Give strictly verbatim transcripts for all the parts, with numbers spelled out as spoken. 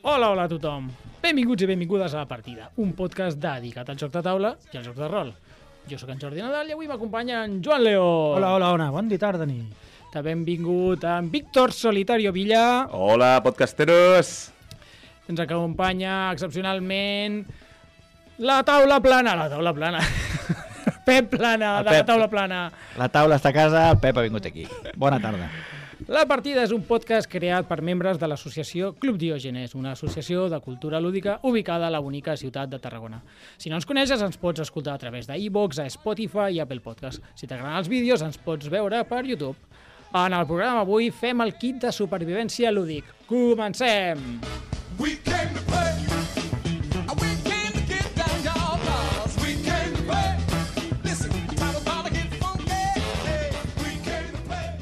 Hola, hola a tothom. Benvinguts i benvingudes a La Partida, un podcast dedicat al joc de taula i al joc de rol. Jo sóc en Jordi Nadal i avui m'acompanya en Joan Leó. Hola, hola, hola, bon dia, tarda, nit. També benvingut en Víctor Solitario Villa. Hola, podcasteros. Ens acompanya excepcionalment la taula plana. La taula plana. Pep Plana, El de la Pep. taula plana. La taula està a casa, el Pep ha vingut aquí. Bona tarda. La Partida és un podcast creat per membres de l'associació Club Diògenes, una associació de cultura lúdica ubicada a la bonica ciutat de Tarragona. Si no ens coneixes, ens pots escoltar a través d'iVoox, a Spotify i Apple Podcast. Si t'agraden els vídeos, ens pots veure per YouTube. En el programa avui fem el kit de supervivència lúdic. Comencem! We came to play. We came to get down, y'all. 'Cause we came to play. Listen, time is about to get funky. Hey, we came to play.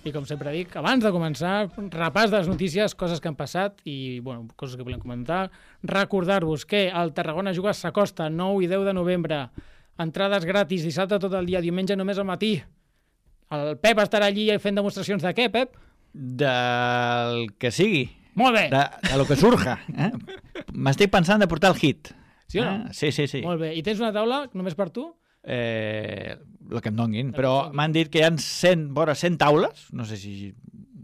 I com sempre dic, abans de començar, repàs de les notícies, coses que han passat i bueno, coses que volem comentar. Recordar-vos que el Tarragona Juga s'acosta nou i deu de novembre. Entrades gratis, dissabte tot el dia, diumenge només al matí. El Pep estarà allí fent demostracions de què, Pep? Del que sigui. Molt bé! De, de lo que surja. Eh? M'estic pensant de portar el hit. Sí o no? Eh? Sí, sí, sí. Molt bé. I tens una taula només per tu? Eh, el que em donguin. que Però et donguin. m'han dit que hi ha cent, vora cent taules. No sé si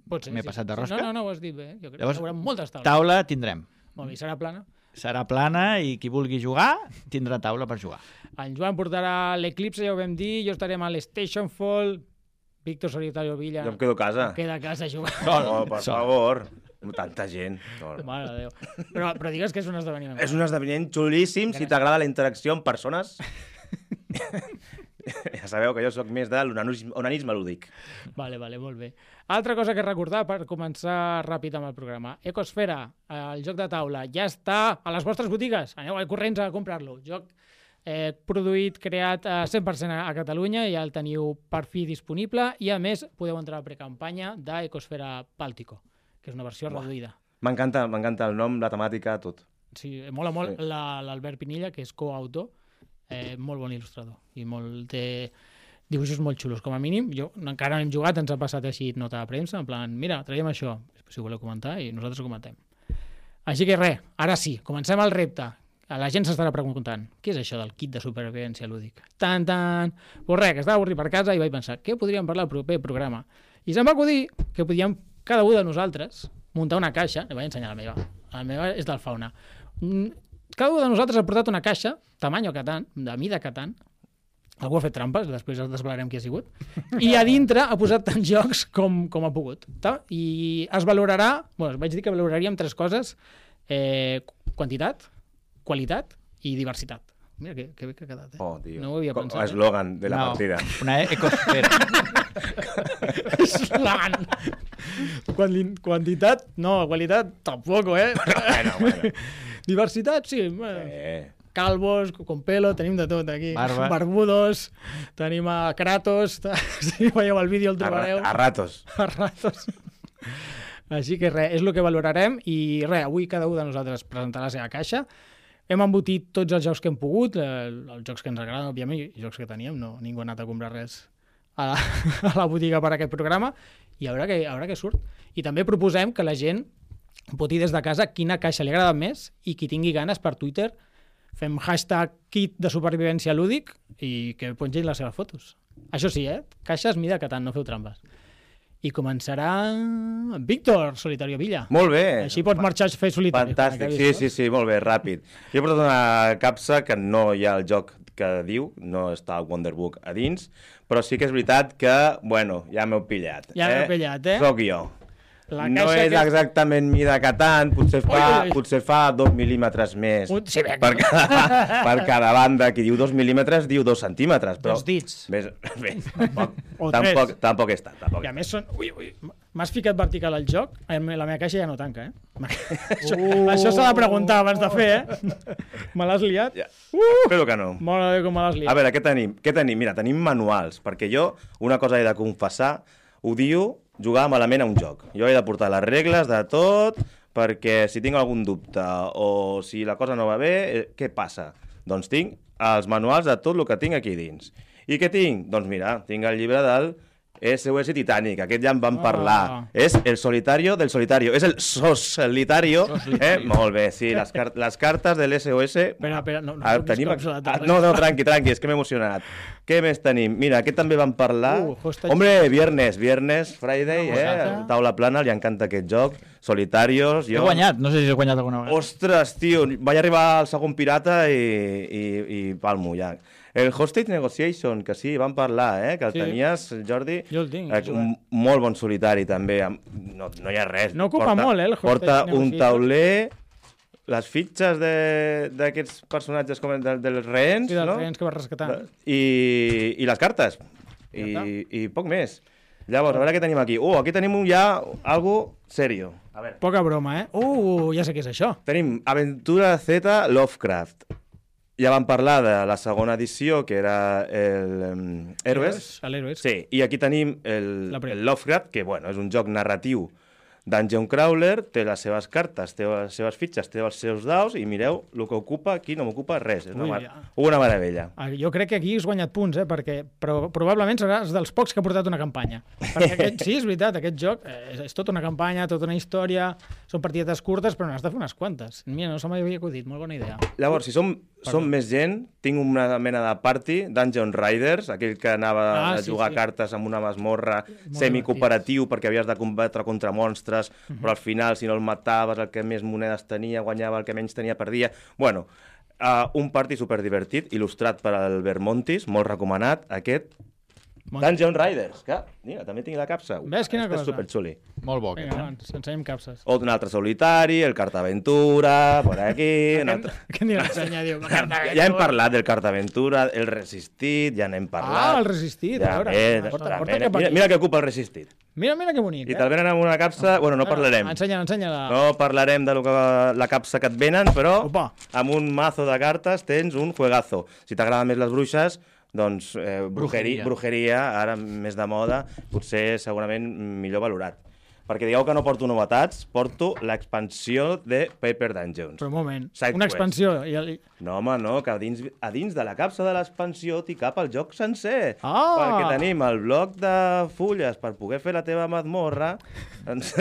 Pot ser, m'he sí. passat de Sí, rosca. No, no, no, ho has dit bé. Jo crec Llavors, que hi haurà moltes taules. Taula tindrem. Molt bé, i serà plana. Serà plana i qui vulgui jugar tindrà taula per jugar. En Joan portarà l'Eclipse, ja ho vam dir, jo estarem a l'Station Fall, Víctor Solitario Villa Jo em quedo a casa. queda a casa a jugar. No, per Sol. favor. Tanta gent. No. Mare de Déu. Però, però digues que és un esdeveniment. És un esdeveniment xulíssim si t'agrada la interacció amb persones. Ja sabeu que jo sóc més de l'onanisme onanisme lúdic. Vale, vale, molt bé. Altra cosa que recordar per començar ràpid amb el programa. Ecosfera, el joc de taula, ja està a les vostres botigues. Aneu al corrents a comprar-lo. Joc eh, produït, creat a cent per cent a Catalunya, ja el teniu per fi disponible i a més podeu entrar a precampanya d'Ecosfera Bàltico, que és una versió Buah. reduïda. M'encanta, m'encanta el nom, la temàtica, tot. Sí, mola molt Sí. la- l'Albert Pinilla, que és coautor, eh, molt bon il·lustrador i molt té dibuixos molt xulos, com a mínim. Jo encara no hem jugat, ens ha passat així nota de premsa, en plan, mira, traiem això, si ho voleu comentar, i nosaltres ho comentem. Així que res, ara sí, comencem el repte. La gent s'estarà preguntant, què és això del kit de supervivència lúdic? Tan, tan... Pues res, que estava avorrit per casa i vaig pensar, què podríem parlar al proper programa? I se'm va acudir que podíem, cada un de nosaltres, muntar una caixa, li vaig ensenyar la meva, la meva és del Fauna. Mm, Cada un de nosaltres ha portat una caixa, tamany Catan, de mida Catan, algú ha fet trampes, després els desvelarem qui ha sigut, i a dintre ha posat tants jocs com, com ha pogut. Ta? I es valorarà, bueno, vaig dir que valoraríem tres coses, eh, quantitat, qualitat i diversitat. Mira que, que bé que ha quedat, eh? Oh, tio. No ho havia Com- pensat, eh? Eslògan de la No, partida. una ecosfera. Eslan! Quanti- Quantitat, no, qualitat, tampoc, eh? Bueno, bueno. Diversitat, sí. Bueno. Eh. Calvos, con pelo, tenim de tot aquí. Barba. Barbudos, tenim a Kratos, si veieu el vídeo el A, ra- trobareu. a ratos. A ratos. Així que res, és el que valorarem i res, avui cada un de nosaltres presentarà la seva caixa. Hem embotit tots els jocs que hem pogut, eh, els jocs que ens agraden, òbviament, i jocs que teníem, no, ningú ha anat a comprar res a la, a la botiga per a aquest programa, i a veure què, a veure què surt. I també proposem que la gent voti des de casa quina caixa li agrada més i qui tingui ganes per Twitter fem hashtag kit de supervivència lúdic i que pengin les seves fotos. Això sí, eh? Caixes mida que tant, no feu trampes. I començarà Víctor Solitario Villa. Molt bé. Així pots marxar a fer solitari. Fantàstic, sí, sí, sí, molt bé, ràpid. Jo he portat una capsa que no hi ha el joc que diu, no està el Wonderbook a dins, però sí que és veritat que, bueno, ja m'heu pillat. Ja m'heu pillat, eh? Soc jo. La No caixa és que- exactament mida Catan, potser fa, Ui, ui. potser fa dos mil·límetres més Un- sí, bé. per, cada, per cada banda. Qui diu dos mil·límetres diu dos centímetres. Però, Dos dits. Bé, bé tampoc, O tampoc, tres. tampoc és tant. Tampoc I a és més són... Ui, ui, m'has ficat vertical al joc? Eh, La meva caixa ja no tanca, eh? Això, Uh. això s'ha de preguntar abans de fer, eh? Me l'has liat? tant. Ja. Espero que no. Mare de Déu, com me l'has liat. A veure, què tenim? Què tenim? Mira, tenim manuals, perquè jo, una cosa he de confessar, odio jugar malament a un joc. Jo he de portar les regles de tot, perquè si tinc algun dubte o si la cosa no va bé, eh, què passa? Doncs tinc els manuals de tot el que tinc aquí dins. I què tinc? Doncs mira, tinc el llibre del S O S Titanic, aquest ja en vam Ah. parlar. És el solitario del solitario, és el solitario. Eh? Molt bé, sí, les, car les cartes de l'S O S... Espera, espera, no, no Ah, toquis tenim... cops a la ah, taula. no, no, tranqui, tranqui, és que m'he emocionat. Què més tenim? Mira, aquest també vam parlar. Uh, hostage. Hombre, viernes, viernes, Friday, Una eh? gozada. Taula plana, li encanta aquest joc. Solitarios, He jo... guanyat, no sé si he guanyat alguna vegada. Ostres, tio, vaig arribar al segon pirata i, i, i palmo ja. El Hostage Negotiation, que sí, vam parlar, eh? Que el Sí. tenies, Jordi. Jo el tinc, Eh, he un molt bon solitari, també. amb- No, no hi ha res. No ocupa molt, eh, el Hostage Porta un Negotiation. tauler, les fitxes de- d'aquests personatges com de, dels rehens, Sí, dels no? rehens que vas rescatant. I, i les cartes. Ja I, està. I poc més. Llavors, a veure què tenim aquí. Uh, aquí tenim un ja algo serio. A veure. Poca broma, eh? Uh, ja sé què és això. Tenim Aventura Z Lovecraft. Ja vam parlar de la segona edició, que era el um, Héroes. A l'Héroes. Sí, i aquí tenim el, La primera. el Lovecraft, que bueno, és un joc narratiu Dungeon Crawler, té les seves cartes, té les seves fitxes, té els seus daus, i mireu el que ocupa, aquí no m'ocupa res. És una, Ui, mar ja. una meravella. Ah, jo crec que aquí has guanyat punts, eh? Perquè però, probablement seràs dels pocs que ha portat una campanya. Perquè aquest, sí, és veritat, aquest joc eh, és, és tota una campanya, tota una història, són partidetes curtes, però n'has de fer unes quantes. Mira, no se m'havia acudit, molt bona idea. Llavors, si som, som més gent, tinc una mena de party, Dungeon Riders, aquell que anava Ah, a sí, jugar sí. cartes amb una masmorra Molt semicooperatiu perquè havies de combatre contra monstres, Mhm. però al final, si no el mataves, el que més monedes tenia guanyava, el que menys tenia perdia. Bueno, uh, un party superdivertit, il·lustrat per Albert Montis, molt recomanat, aquest Montis. Dungeon Riders, que, mira, també tinc la capsa. Ves quina Este és cosa. superxuli. Molt bo, aquest, Vinga, eh? va, ens ensenyem capses. O un altre solitari, el Cartaventura, por aquí... un altre... Què n'hi l'ensenya, diu? Ja hem parlat del Cartaventura, el Resistit, ja n'hem parlat. Ah, el Resistit, Ja, a veure. bé, Porta, ja, porta mira, cap mira, aquí. mira que ocupa el Resistit. Mira, mira que bonic, I eh? te'l venen amb una capsa... Bueno, no parlarem. Ensenya-la, ensenya-la. No parlarem de lo que, la capsa que et venen, però Opa. amb un mazo de cartes tens un juegazo. Si t'agraden més les bruixes, doncs eh, brujeria, Brujeria. brujeria, ara més de moda, potser segurament millor valorat. Perquè digueu que no porto novetats, porto l'expansió de Paper Dungeons. Però un moment, Side una quest. expansió. I el... No, home, no, que a dins, a dins de la capsa de l'expansió t'hi cap el joc sencer. Ah! Perquè tenim el bloc de fulles per poder fer la teva mazmorra, doncs,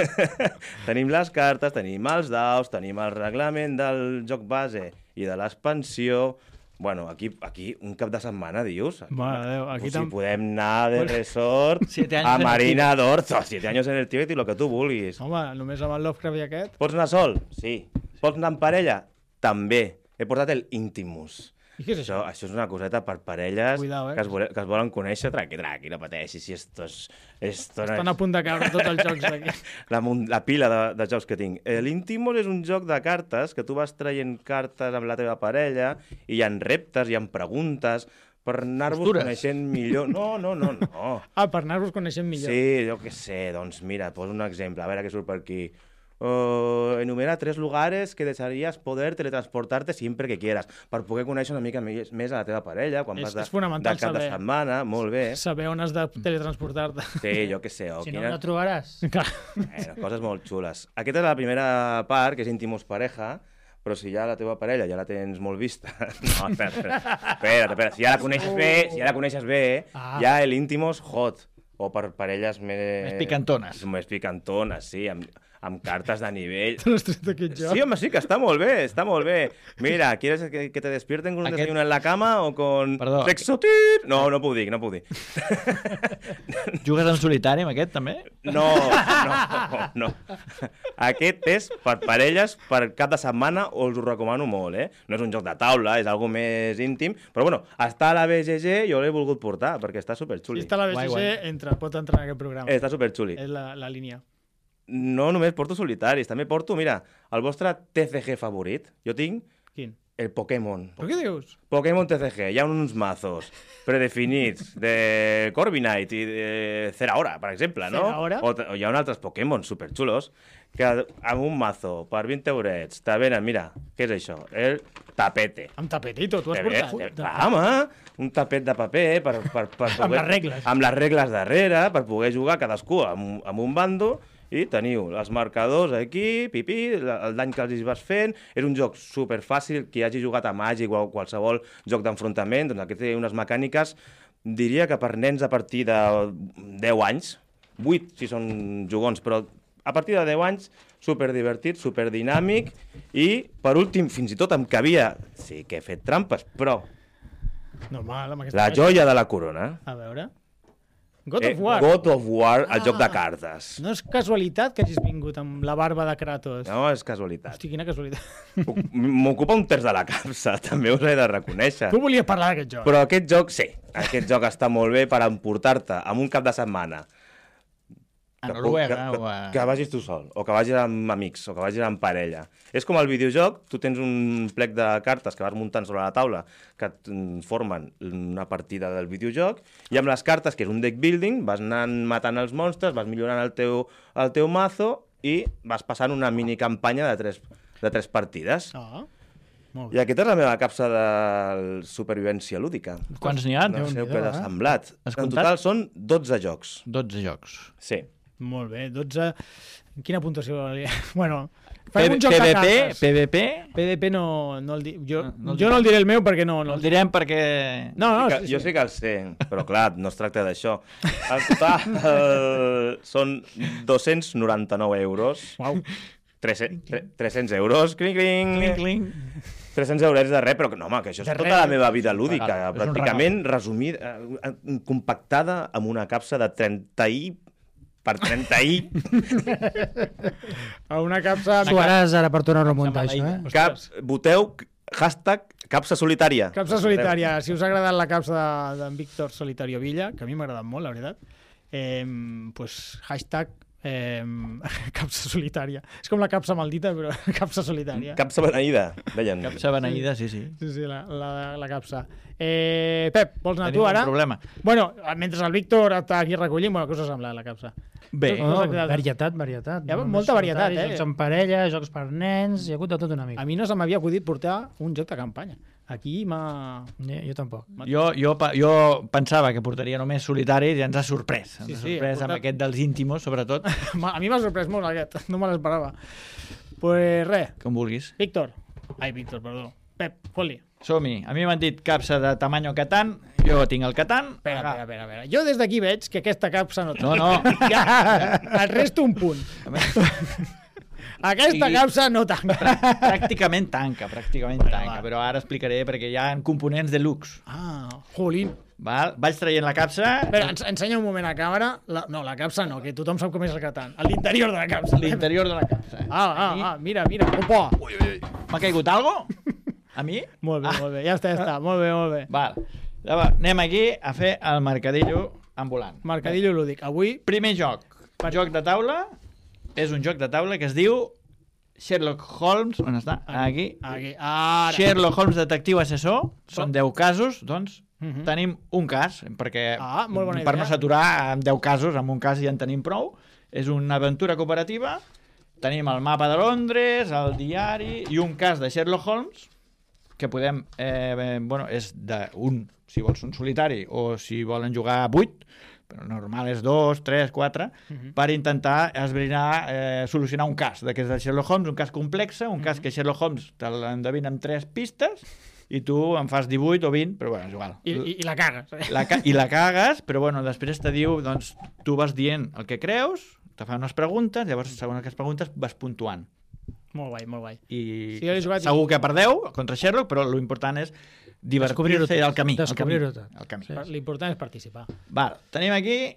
tenim les cartes, tenim els daus, tenim el reglament del joc base i de l'expansió. Bueno, aquí, aquí un cap de setmana, dius? Aquí, Mare de Déu, aquí pues si tam- podem anar de resort Siete años a en el Marina d'Orzo, siete años en el Tíbet i el que tu vulguis. Home, només amb el Lovecraft i aquest. Pots anar sol? Sí. Pots anar en parella? També. He portat el Intimus. I què és Això, això? això és una coseta per parelles Cuidao, eh? que, es vole, que es volen conèixer. Tranqui, tranqui, no pateixis. Si esto es, esto no Estan es- a punt de caure tots els jocs d'aquí. la, mun- la pila de, de jocs que tinc. Eh, L'Intimos és un joc de cartes que tu vas traient cartes amb la teva parella i hi ha reptes, hi ha preguntes per anar-vos Postures. coneixent millor. No, no, no, no. Ah, per anar-vos coneixent millor. Sí, jo què sé, doncs mira, poso un exemple, a veure què surt per aquí. Uh, enumera tres lugares que desearías poder teletransportarte siempre que quieras, per poder conèixer una mica més, més a la teva parella, quan És- vas de, és fonamental de cap de saber. setmana, molt bé. Saber on has de teletransportar-te. Sí, jo què sé. O Si no, quina... no trobaràs. Clar. bueno, coses molt xules. Aquesta és la primera part, que és íntimos pareja, però si ja la teva parella ja la tens molt vista... No, espera, espera, espera, espera. Si ja la coneixes bé, si ja la coneixes bé, Ah. ja l'íntimos hot. O per parelles més... Més picantones. Més picantones, sí, amb, amb cartes de nivell. Te l'has tret aquest joc? Sí, home, sí, que està molt bé, está muy bien. Mira, ¿quieres que, que te despierten con un Aquest- desayuno en la cama o con Perdó. sexo tit? No, no puc dir, no puc dir. Jugues en solitari amb aquest, també? No, no, no. Aquest és per parelles, per cap de setmana, us ho recomano molt, eh? No és un joc de taula, és algo més íntim, però bueno, està a la B G G, jo l'he volgut portar, perquè està Si superxuli. està a la Guai, B G G, guai. entra, pot entrar en aquest programa. Està superxuli. És la, la línia. No només porto solitaris, també porto, mira, el vostre T C G favorit. Jo tinc Quin? el Pokémon. Però què dius? Pokémon T C G, hi ha uns mazos predefinits de Corviknight i de Zeraora, per exemple, no? Zeraora? O, t- o hi ha altres Pokémon superxulos que amb un mazo per vint eurets te venen, mira, què és això? El tapete. Amb tapetito, tu has Te ve- portat. te- Va, home, un tapet de paper per, per, per poder... Amb les regles. Amb les regles darrere, per poder jugar cadascú amb, amb un bando, i teniu els marcadors aquí, pipí, la- el dany que els hi vas fent. És un joc superfàcil, qui hagi jugat a Màgic o a qualsevol joc d'enfrontament, doncs aquí té unes mecàniques diria que per nens a partir de deu anys, vuit si són jugons, però a partir de deu anys, superdivertit, superdinàmic, i, per últim, fins i tot em cabia... Sí que he fet trampes, però... Normal, amb aquesta La caixa. joia de la corona. A veure... God Eh, of War. God of War, el Ah. joc de cartes. No és casualitat que hagis vingut amb la barba de Kratos. No, és casualitat. Hosti, quina casualitat. M'ocupa un terç de la capsa, també us he de reconèixer. Tu volies parlar d'aquest joc. Però aquest joc, sí, aquest joc està molt bé per emportar-te amb un cap de setmana. A Que, Noruega que, o a... que vagis tu sol, o que vagis amb amics, o que vagis amb parella. És com el videojoc, tu tens un plec de cartes que vas muntant sobre la taula que et mm, formen una partida del videojoc, i amb les cartes, que és un deck building, vas anant matant els monstres, vas millorant el teu, el teu mazo i vas passant una minicampanya de tres, de tres partides. Ah, molt I bé. aquesta és la meva capsa de supervivència lúdica. Quants n'hi ha? No sé Déu-n'hi-do, què ha eh? semblat. Has En comptat? total són dotze jocs. dotze jocs. Sí. Molt bé, dotze... Quina puntuació? li- Bueno, P- fem un joc de PvP, cartes. PvP... P D P no, no el di... jo, No, no el jo no el diré el meu perquè no... No no el direm perquè... No, no, Que, sí, jo sí. sí que el sé, però clar, no es tracta d'això. En total eh, són dos-cents noranta-nou euros. Uau. tres-cents euros, cling, cling. Cling, cling. tres-cents euros de res, però que no, home, que això és De tota res. la meva vida lúdica, Regal. És un pràcticament resumida, eh, compactada amb una capsa de trenta i per trenta i A una capsa... Tu ara, ara per tornar a remuntar Capsa això, eh? maleïda. cap, voteu hashtag capsa solitària. Capsa solitària. Si us ha agradat la capsa de- d'en Víctor Solitario Villa, que a mi m'ha agradat molt, la veritat, eh, pues, hashtag eh, capsa solitària. És com la capsa maldita, però capsa solitària. Capsa beneïda, deien. Capsa beneïda, sí, sí. Sí, sí, la, la, la capsa. Eh, Pep, vols anar Tenim tu un ara? problema. Bueno, mentre el Víctor està aquí recollint, bueno, què us ha semblat la capsa? Bé, No, Oh, s'ha quedat- varietat, varietat. Hi ha No molta només varietat, solitari, eh? Jocs en parella, jocs per nens, hi ha hagut de tot una mica. A mi no se m'havia acudit portar un joc de campanya. Aquí m'ha... Jo, jo tampoc. jo, jo, pa- jo pensava que portaria només solitari i ens ha sorprès. Ens Sí, ha sí, sorprès ha portat- amb aquest dels íntimos, sobretot, m'ha- A mi m'ha sorprès molt aquest, no me l'esperava. Pues res, com vulguis. Víctor. Ai, Víctor, perdó. Pep, fot-li. Som-hi. A mi m'han dit capsa de tamany Catan, jo tinc el Catan. Espera, Aga. espera, espera, espera. Jo des d'aquí veig que aquesta capsa no... No, no. Ja, et resto un punt. Aquesta Sí. capsa no tanca. Pràcticament tanca, pràcticament tanca, va. però ara explicaré perquè hi ha components de luxe. Ah, jolín. Val? Vaig traient la capsa, Espera, ens, ensenya un moment a càmera. La, no, la capsa no, que tothom sap com és el Catan. A l'interior de la capsa. l'interior de la capsa. Ah, ah, ah, mira, mira. Opa! M'ha caigut algo? A mi? Molt bé, Ah. molt bé. Ja està, ja està. Molt bé, molt bé. Val. Llavors, anem aquí a fer el mercadillo ambulant. Mercadillo lúdic. Avui, Primer joc. Joc de taula. És un joc de taula que es diu Sherlock Holmes. On està? Aquí. aquí, ara. Sherlock Holmes, detectiu assessor. Són deu casos, doncs Mhm. tenim un cas, perquè Ah, molt bona per idea. no saturar amb deu casos, amb un cas ja en tenim prou. És una aventura cooperativa. Tenim el mapa de Londres, el diari i un cas de Sherlock Holmes que podem... Eh, eh, bueno, és d'un, si vols un solitari, o si volen jugar vuit, però normal és dos, tres, quatre, Mhm. per intentar esbrinar, eh, solucionar un cas d'aquests de Sherlock Holmes, un cas complex, un cas que Sherlock Holmes te l'endevina amb tres pistes i tu en fas divuit o vint, però bueno, és igual. I, i, i la cagues. Eh? La ca I la cagues, però bueno, després te diu, doncs, tu vas dient el que creus, te fa unes preguntes, llavors, segons aquestes preguntes, vas puntuant. Molt guai, molt guai. I Sí, jo l'he jugat i- segur que perdeu contra Sherlock, però l'important és Descobrir-ho divertir-se tot. al camí. Descobrir-ho al camí, tot. al camí. Sí. L'important és participar. Val, tenim aquí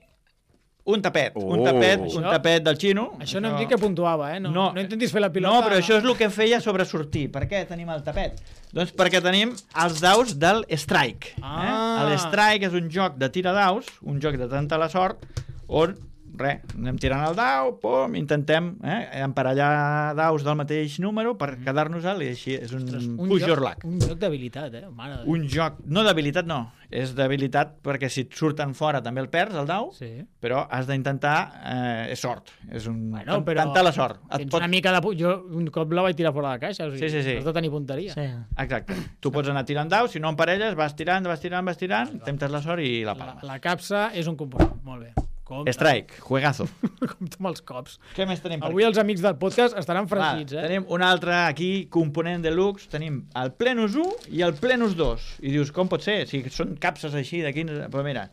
un tapet, un Oh. tapet, un Això- tapet del xino. Això no em dic que puntuava, eh? No, no, no intentis fer la No, pilota. però això és el que em feia sobresortir. Per què tenim el tapet? Doncs perquè tenim els daus del Strike. Ah. Eh? El Strike és un joc de tira daus, un joc de tanta la sort, on, res, anem tirant el dau, pum, intentem eh, emparellar daus del mateix número per quedar-nos-el, i així és un, un push joc, your luck. un joc d'habilitat, eh? Mare de Déu. Un joc, no d'habilitat no, és d'habilitat perquè si et surten fora també el perds, el dau, Sí. però has d'intentar, eh, és sort, és un... Bueno, però Tanta la sort. Et Tens pot... una mica de... pu- Jo un cop la vaig tirar fora de la caixa. O sigui, Sí, sí, sí. Has de tenir punteria. Sí. Exacte. Tu pots anar tirant daus, si no emparelles, vas tirant, vas tirant, vas tirant, temptes la sort i la La, palma. la capsa és un component. Molt bé. Compte. Strike, juegazo. Compte amb els cops. Què més tenim per Avui aquí? els amics del podcast estaran Va, fregits, eh? tenim un altre aquí, component deluxe, tenim el Plenus u i el Plenus dos. I dius, com pot ser? Si són capses així de quinze... Però mira,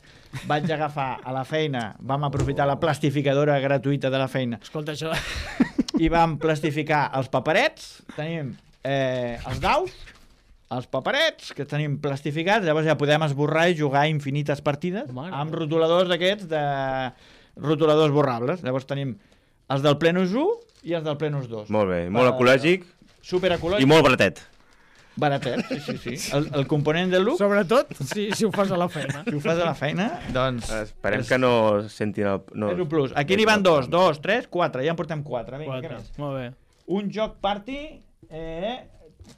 vaig agafar a la feina, vam aprofitar la plastificadora gratuïta de la feina Escolta, això... i vam plastificar els paperets, tenim eh, els daus, els paperets, que tenim plastificats, llavors ja podem esborrar i jugar infinites partides Mare amb rotuladors d'aquests, de rotuladors borrables. Llavors tenim els del Plenus u i els del Plenus dos. Molt bé, molt ecològic Super i ecològic. molt baratet. Baratet, sí, sí, sí. El, el component del look, Sobretot si, si ho fas a la feina. si ho fas a la feina, doncs... Esperem és, que no sentin el... No, és un plus. Aquí n'hi van dos, dos, tres, quatre. Ja en portem quatre. Vinga, Quatre. què més? Molt bé. Un joc party... Eh,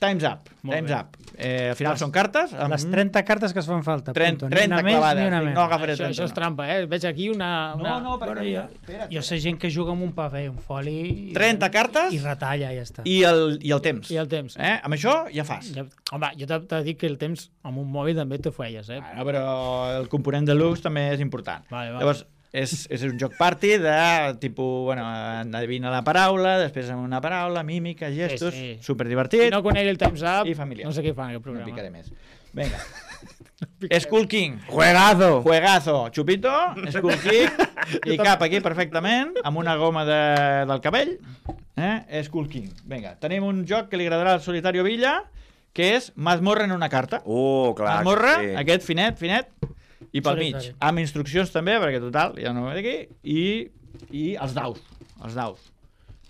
Time's Up. Molt Time's bé. Up. Eh, al final són cartes. Amb Les trenta cartes que es fan falta. trenta, punto. Ni trenta una més clavades. ni una Dic, menys. no agafaré Això, trenta. això és trampa, eh? Veig aquí una... una... No, no, perquè... Bueno, jo, espera't. jo sé gent que juga amb un paper, un foli... I, trenta cartes I retalla, ja està. i el, i el temps. I el temps. Eh? Amb això ja fas. Ja, home, jo t'he de dir que el temps amb un mòbil també t'ho feies, eh? Bueno, però el component de luxe també és important. Vale, vale. Llavors, és, és un joc party de tipus, bueno, adivina la paraula, després amb una paraula, mímica, gestos, Sí, sí. superdivertit. Si no conec el Time's Up, I familiar. no sé què fan aquest No programa. picaré més. Vinga. Skull King. Juegazo! Juegazo. Chupito, Skull King. I cap aquí perfectament, amb una goma de, del cabell. Eh? Skull King. Vinga, tenim un joc que li agradarà al Solitario Villa, que és Mazmorra en una carta. Uh, clar, Mazmorra, sí. aquest finet, finet, i pel mig. Solitari. Amb instruccions també, perquè total, ja no ho veig aquí, i, i els daus, els daus.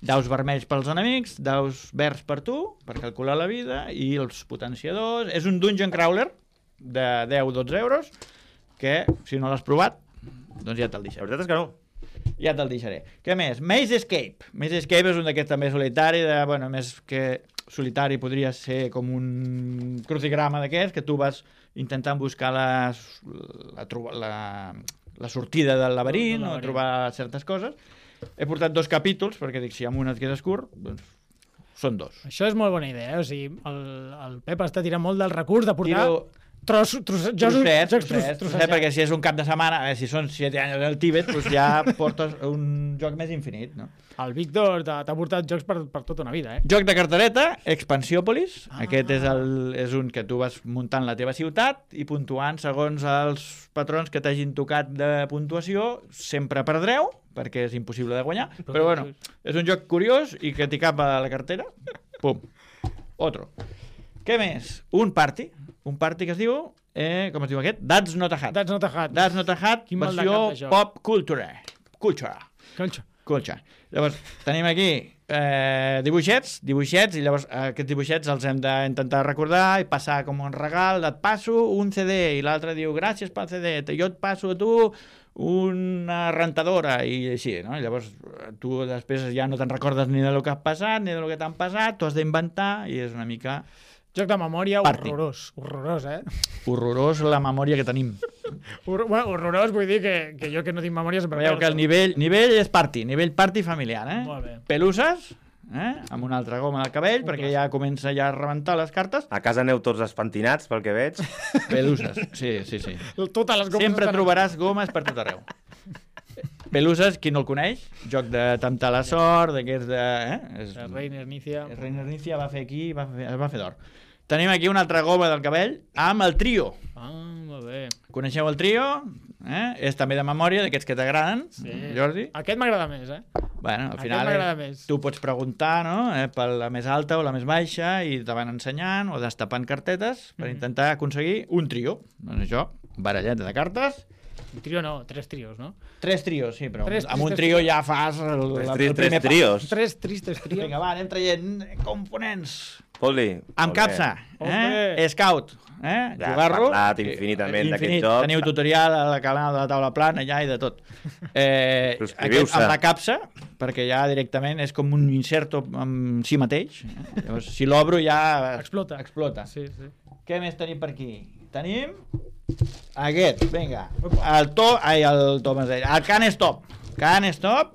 Daus vermells pels enemics, daus verds per tu, per calcular la vida, i els potenciadors. És un dungeon crawler de deu a dotze euros, que, si no l'has provat, doncs ja te'l La deixaré. veritat és que no. Ja te'l deixaré. Què més? Maze Escape. Maze Escape és un d'aquests també solitari, de, bueno, més que solitari podria ser com un crucigrama d'aquests, que tu vas intentant buscar la, la, troba- la, la sortida del laberint, Del o laberint. trobar certes coses. He portat dos capítols, perquè dic, si amb un et quedes curt, doncs són dos. Això és molt bona idea, eh? O sigui, el, el Pep està tirant molt del recurs de portar Tiro tros, tros, jocs, trossets, jocs trossets, tros, trossets, perquè si és un cap de setmana, eh, si són set anys al Tíbet, doncs ja portes un joc més infinit, no? El Víctor t'ha t'ha portat jocs per, per tota una vida, eh? Joc de cartereta, Expansiòpolis. Ah. Aquest és, el, és un que tu vas muntant la teva ciutat i puntuant segons els patrons que t'hagin tocat de puntuació. Sempre perdreu, perquè és impossible de guanyar. Però bueno, és un joc curiós i que t'hi cap a la cartera. Pum. Otro. Què més? Un party. Un party que es diu... Eh, com es diu aquest? That's Not a Hat. That's not a hat. That's Not a Hat, Quin mal de versió cap de joc. pop culture. Culture. Conxa. Colxa. Llavors, tenim aquí eh, dibuixets, dibuixets, i llavors eh, aquests dibuixets els hem d'intentar recordar i passar com un regal. Et passo un C D, i l'altre diu gràcies pel C D, jo et passo a tu una rentadora, i així, no? I llavors tu després ja no te'n recordes ni del que has passat, ni del que t'han passat, tu has d'inventar, i és una mica Joc de memòria Party. horrorós. Horrorós, eh? horrorós la memòria que tenim. Hor bueno, horrorós vull dir que, que jo que no tinc memòria sempre Veieu que el nivell, nivell és party, nivell party familiar, eh? Molt bé. Peluses, eh? Amb una altra goma del cabell, Un perquè clàssic. ja comença ja a rebentar les cartes. A casa aneu tots espentinats, pel que veig. Peluses, sí, sí, sí. Totes les gomes Sempre estan- trobaràs gomes per tot arreu. Peluses, qui no el coneix, joc de temptar la sort, d'aquests de... Eh? És, El Reiner Nícia. Reiner Nícia va fer aquí, va fer, es va fer d'or. Tenim aquí una altra goma del cabell amb el trio. Ah, molt bé. Coneixeu el trio? Eh? És també de memòria, d'aquests que t'agraden, Sí. Jordi. Aquest m'agrada més, eh? Bueno, al Aquest final m'agrada eh, més. tu pots preguntar, no?, eh, per la més alta o la més baixa, i te van ensenyant o destapant cartetes per Mhm. intentar aconseguir un trio. Doncs això, baralleta de cartes. Un trio no, tres trios, no? Tres trios, sí, però Tres amb un tristes trio trios. ja fas el, Tres, el, tri el tres primer pas. trios. Tres tristes trios. Vinga, va, anem traient components. Pol·li. Amb molt capsa, bé. eh? Hombre. Scout, eh? Ja has Jugar-lo. parlat infinitament Eh, d'aquest infinit. joc. Teniu tutorial a la canal de la taula plana ja i de tot. Eh, Subscriviu-se. aquest, amb la capsa, perquè ja directament és com un inserto en si mateix. Eh? Llavors, si l'obro ja Explota. explota. Sí, sí. Què més tenim per aquí? Tenim aquest, vinga. El to... Ai, el Thomas deia. El Can Stop. Can Stop,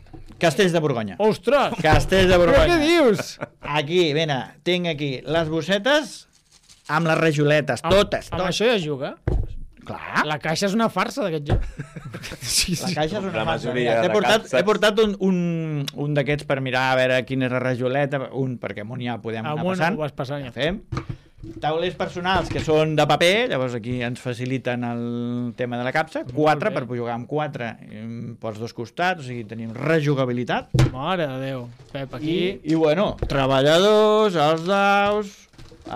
Castells de Borgonya. Ostres! Castells de Però Borgonya. què dius? Aquí, mira, tinc aquí les bossetes amb les rajoletes, totes, Amb totes. això ja es juga? Clar, La caixa és una farsa d'aquest joc. Sí, la sí. caixa és una La farsa. majoria Mira, de He portat, capses. he portat un, un, un d'aquests per mirar a veure quina és la rajoleta, un, perquè amunt ja podem anar Amunt passant. ho vas passant ja. Fem. Taulers personals que són de paper, llavors aquí ens faciliten el tema de la capsa. Quatre, bé. per jugar amb quatre, em, pels dos costats, o sigui, tenim rejugabilitat. Mare de Déu. Pep, aquí... I, I bueno, treballadors, els daus,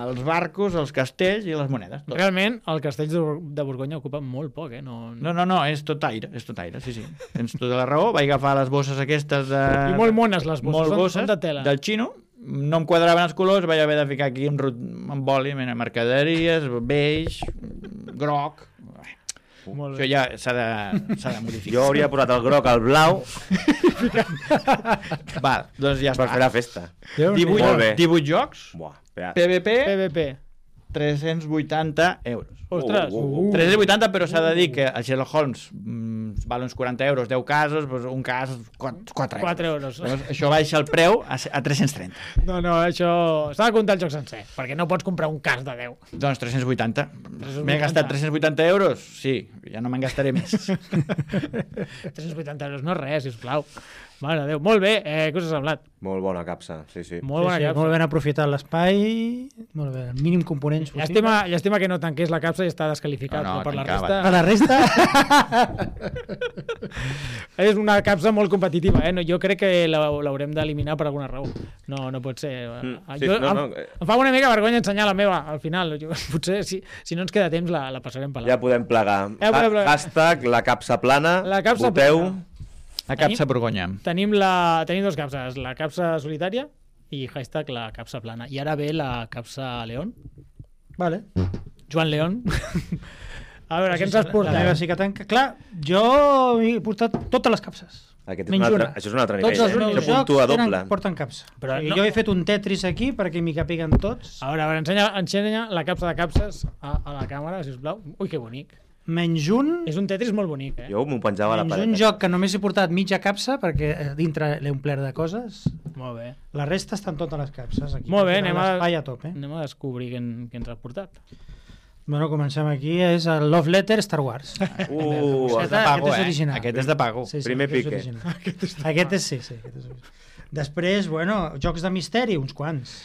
els barcos, els castells i les monedes. Tot. Realment, el castell de Bor- de Borgonya ocupa molt poc, eh? No... No, no, no, és tot aire, és tot aire, sí, sí. Tens tota la raó, vaig agafar les bosses aquestes de... I molt mones les bosses, molt són, bosses són de tela. del xino, no em quadraven els colors, vaig haver de ficar aquí un, rot- un boli, mira, mercaderies, beix, groc... Molt Això bé. ja s'ha de, s'ha de modificar. Jo hauria posat el groc al blau Val, doncs ja per fer està. la festa. divuit, Molt bé. divuit jocs, Buah, espera. P V P, P V P. tres-cents vuitanta euros. Ostres! Uh, uh, uh. tres-cents vuitanta, però s'ha de dir que el Sherlock Holmes mm, val uns quaranta euros, deu casos, doncs un cas, quatre euros. quatre euros. Llavors, això baixa el preu a, a tres-cents trenta. No, no, això... S'ha de comptar el joc sencer, perquè no pots comprar un cas de deu. Doncs tres-cents vuitanta. vuitanta. M'he gastat tres-cents vuitanta euros? Sí, ja no me'n gastaré més. tres-cents vuitanta euros no és res, sisplau. Mare de Déu. Molt bé, eh, què us ha semblat? Molt bona capsa, sí, sí. Molt bona sí, sí, capsa. molt ben aprofitat l'espai, molt bé, el mínim components possible. Llàstima, llàstima que no tanqués la capsa i està desqualificat, No, no, però per la tancava. Per resta... la resta, És una capsa molt competitiva, eh? No, jo crec que la- l'haurem d'eliminar per alguna raó. No, no pot ser... Mm, Ah, sí, jo, no, em, no, eh. em fa una mica vergonya ensenyar la meva, al final. Jo, potser, si, si no ens queda temps, la, la passarem per Ja la... podem plegar. Ja podem plegar. Ha- Hashtag la capsa plana. La capsa Voteu. plana. La capsa Borgonya. Tenim, la, tenim dos capses, la capsa solitària i hashtag la capsa plana. I ara ve la capsa León. vale. Joan León. A veure, què ens has La portat? meva sí que tanca. Clar, jo he portat totes les capses. Aquest és Menys un altre, una. això és un altre Tots nivell. els Eh? meus Això puntua jocs tenen, doble. porten capsa. Però Però no- jo he fet un Tetris aquí perquè m'hi capiguen tots. A veure, a veure, ensenya, ensenya la capsa de capses a, a la càmera, sisplau. Ui, que bonic. Menys un, És un Tetris molt bonic, eh? Jo m'ho penjava a la menys paret. un joc que només he portat mitja capsa perquè eh, dintre l'he omplert de coses. Molt bé. La resta estan totes les capses aquí. Molt bé, Tenen anem a, l'espai a tope. anem a descobrir què, en- què ens ha portat. Bueno, comencem aquí. És el Love Letter Star Wars. Uh, Aquest de pago, és eh? original. Aquest és de pago. Sí, sí, Primer aquest és pique. original. Aquest és, sí, sí, aquest és original. Després, bueno, jocs de misteri, uns quants.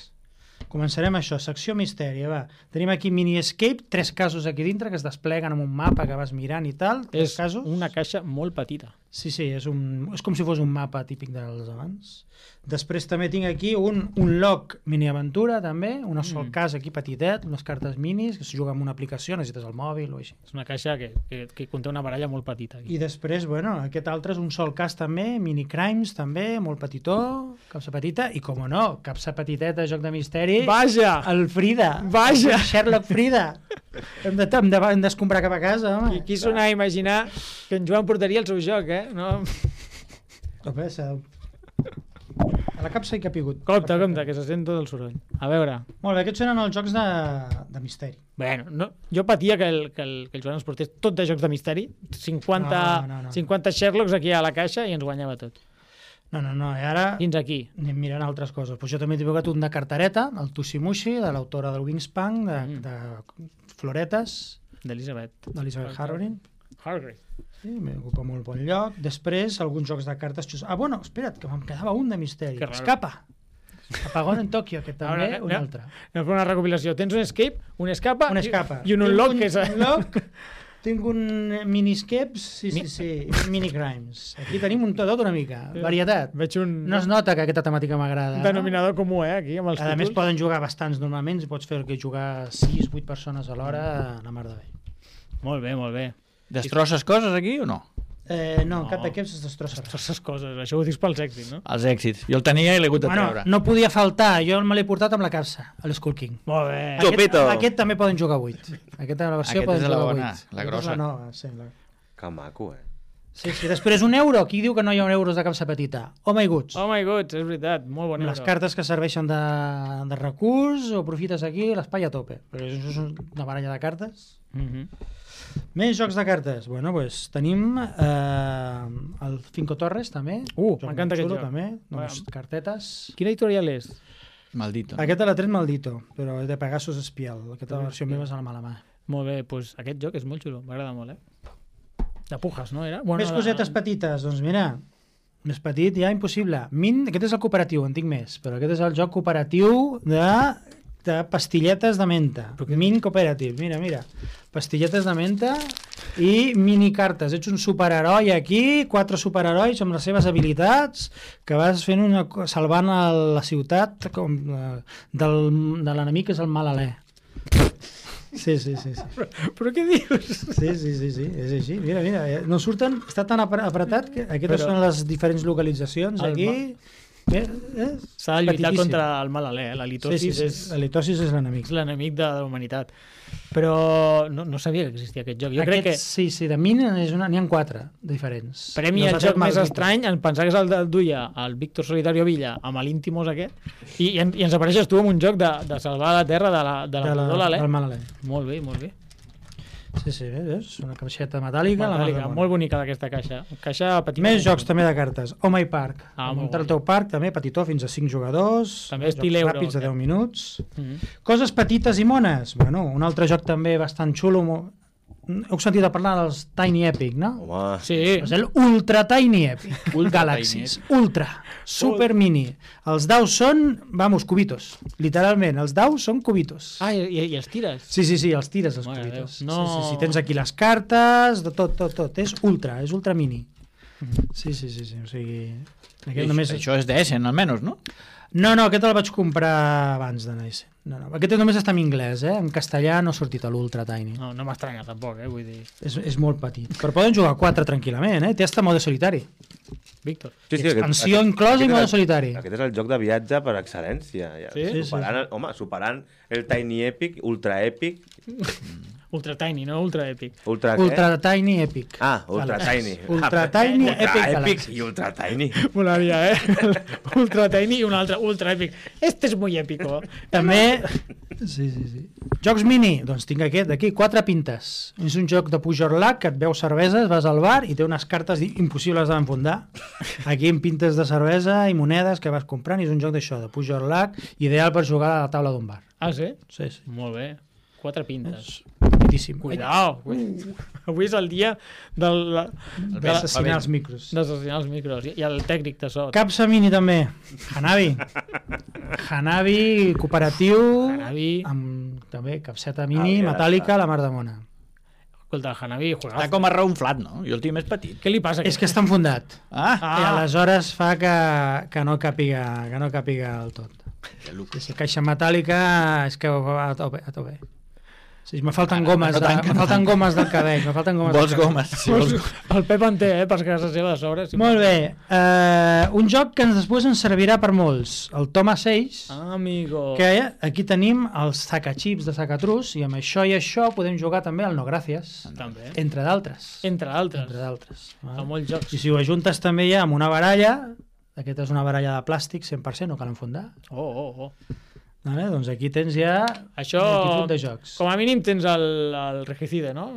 Començarem això, secció misteri, va. Tenim aquí Mini Escape, tres casos aquí dintre que es despleguen amb un mapa que vas mirant i tal. Tres És casos. una caixa molt petita. Sí, sí, és, un, és com si fos un mapa típic dels abans. Després també tinc aquí un, un log mini-aventura, també, un sol Mm. cas aquí petitet, unes cartes minis, que es juga amb una aplicació, necessites el mòbil o així. És una caixa que, que, que conté una baralla molt petita. Aquí. I després, bueno, aquest altre és un sol cas també, mini crimes també, molt petitó, capsa petita, i com no, capsa petiteta, joc de misteri, Vaja! el Frida. Vaja! El Sherlock Frida. Hem de, hem de, hem d'escombrar cap a casa, home. I qui sona a imaginar que en Joan portaria el seu joc, eh? No... Home, s'ha- a la capsa hi que ha pigut. Compte, compte, que se sent tot el soroll. A veure... Molt bé, aquests eren els jocs de, de misteri. Bueno, no, jo patia que el, que, el, que el Joan ens portés tot de jocs de misteri, cinquanta, No, no, no. cinquanta Sherlocks aquí a la caixa i ens guanyava tot. No, no, no, i ara Fins aquí. anem mirant altres coses. Pues jo també t'he tocat un de cartareta, el Tushimushi, de l'autora del Wingspan, de, Mm. de floretes, D'Elisabet. d'Elizabeth Harvey. Hargrave. Sí, m'ocupa molt bon lloc. Després, alguns jocs de cartes... xus- Ah, bueno, espera't, que em quedava un de misteri. Que raro. Escapa. Apagón en Tòquio, que també, Ara, un no. altre. Anem a fer una recopilació. Tens un escape, un escapa, Un i- escapa. i un Tinc unlock, que és... Un unlock, tinc un miniscapes, sí, sí, Mi- sí, i un minicrimes. Aquí tenim un tot una mica, varietat. Veig un No es nota que aquesta temàtica m'agrada. denominador comú, eh, aquí, amb els A més, títols. poden jugar bastants normalment, pots fer que jugar sis vuit persones a l'hora, la mar de bé. Molt bé, molt bé. Destrosses coses aquí o no? Eh, no, No. en cap d'aquests es destrossa res. Totes les coses, això ho dius pels èxits, no? Els èxits. Jo el tenia i l'he hagut de Bueno, treure. no podia faltar, jo me l'he portat amb la capsa, a l'Skull King. Molt bé. Tu- Aquest, Chupito. aquest també poden jugar vuit. Aquesta la versió Aquest poden és la jugar bona, vuit. la Aquesta és grossa. La nova, sí, la... Que maco, eh? sí, sí. Després un euro, qui diu que no hi ha un euros de capsa petita? Oh my goods. Oh my god, és veritat, molt bon Les euro. cartes que serveixen de, de recurs o aprofites aquí l'espai a tope. Perquè això és una baralla de cartes. Mhm. Més jocs de cartes. Bueno, pues, tenim eh, el Cinco Torres, també. Uh, Joc m'encanta molt aquest xulo, joc. També, només Bueno. cartetes. Quina editorial és? Maldito. Aquest l'ha tret Maldito, però és de Pegasus Espial. Aquesta Pegasus versió Espial. meva és a la mala mà. Molt bé, doncs aquest joc és molt xulo, m'agrada molt, eh? De Pujas, no era? Més cosetes petites, doncs mira, més petit ja impossible. Min, aquest és el cooperatiu, en tinc més, però aquest és el joc cooperatiu de, de pastilletes de menta. Min Cooperative, mira, mira. Pastilletes de menta i minicartes. Ets un superheroi aquí, quatre superherois amb les seves habilitats, que vas fent una, co- salvant a la ciutat com, eh, del, de l'enemic que és el mal alè. Sí, sí, sí, sí. Però què dius? Sí, sí, sí, sí, és així. Mira, mira, eh, no surten, està tan apre- apretat que aquestes Però- són les diferents localitzacions El aquí. Eh, eh, S'ha de lluitar petitíssim. contra el mal alè, eh? La Sí, litosis sí, sí. és, La litosis és l'enemic. és l'enemic de la humanitat. Però no, no sabia que existia aquest joc. Jo Aquest, crec que Sí, sí, de Min és una... n'hi ha quatre diferents. per mi Los el ha fet joc més Maldito. estrany, en pensar que és el del duia el Víctor Solitario Villa amb l'Íntimos aquest, i, i, en, i ens apareixes tu amb un joc de, de salvar la terra de la, de la, de la, de l'alè. del mal alè. Molt bé, molt bé. Sí, sí, és una caixeta metàl·lica. la Metàl·lica, mar de molt bona. bonica aquesta caixa. Caixa petita. Més jocs també de cartes. Oh My Park. Ah, Ah, molt muntar el guai. teu parc, també petitó, fins a cinc jugadors. També jocs estil euro, ràpids de aquest. deu minuts. Mm -hmm. Coses petites i mones. Bueno, un altre joc també bastant xulo. mo- Heu sentit a parlar dels Tiny Epic, no? Home, Sí, És el Ultra Tiny Epic. Ultra Galaxies. Ultra. Super mini. Els daus són, vamos, cubitos. Literalment, els daus són cubitos. Ah, i, i els tires. Sí, sí, sí, els tires, els Mare de cubitos. Déu. No. Sí, sí, sí, tens aquí les cartes, de tot, tot, tot. És ultra, és ultra mini. Sí, sí, sí, sí, o sigui... Aquest només... Això és d'Essen, almenys, no? No, no, aquest el vaig comprar abans de néixer. No, no, aquest només està en anglès, eh? En castellà no ha sortit a l'Ultra Tiny. No, no m'estranya tampoc, eh? Vull dir... És, és molt petit. Però poden jugar quatre tranquil·lament, eh? Té hasta mode solitari. Víctor. sí, sí, Expansió inclosa i aquest és mode el- solitari. Aquest és el joc de viatge per excel·lència. Ja. Sí? Sí, Superant, el, home, superant el Tiny Epic, Ultra Epic, Ultra Tiny, no Ultra Epic. Ultra, què? Ultra Tiny Epic. Ah, Ultra Galaxies. Tiny. Ultra Ah, Tiny Ultra Epic Epic Galaxies. i Ultra Tiny. Molaria, eh? Ultra Tiny i un altre Ultra Epic. Este és muy épico. També... Sí, sí, sí. Jocs mini? Doncs tinc aquest d'aquí, quatre pintes. És un joc de Pujorlac que et veu cerveses, vas al bar i té unes cartes impossibles d'enfundar. Aquí amb pintes de cervesa i monedes que vas comprant i és un joc d'això, de Pujorlac, ideal per jugar a la taula d'un bar. Ah, sí? Sí, sí. Molt bé. Quatre pintes. És petitíssim. Cuidao. Uh. Avui és el dia del, de, Assassinar els micros. d'assassinar els micros i, i el tècnic de so. Capsa mini també. Hanabi. Hanabi cooperatiu. Hanabi. Amb també capseta mini, Ah, ja metàl·lica, està. la mar de mona. Escolta, Hanabi, Està juegazo. com a reunflat, no? Jo el tinc més petit. Què li passa? És que està enfundat. Ah, Ah. I aleshores fa que, que no càpiga que no càpiga el tot. que luc. Si caixa metàl·lica és que va a tope. A tope. Sí, me falten Ara, gomes, no de, tant, me no falten tant. gomes del cabell. Me falten gomes Vols del cabell. gomes? Sí, vols... El Pep en té, eh, per casa seva de sobre. Si Molt bé. Uh, un joc que ens després ens servirà per molts. El Toma seis. Ah, amigo. Que aquí tenim els sacachips de sacatrus i amb això i això podem jugar també al No Gràcies, També. entre d'altres. Entre altres. Entre d'altres. A molts jocs. I si ho ajuntes també ja amb una baralla, aquesta és una baralla de plàstic cent per cent, no cal enfundar, Oh, oh, oh. vale? Doncs aquí tens ja Això, multitud de jocs. com a mínim tens el, el regicide, no?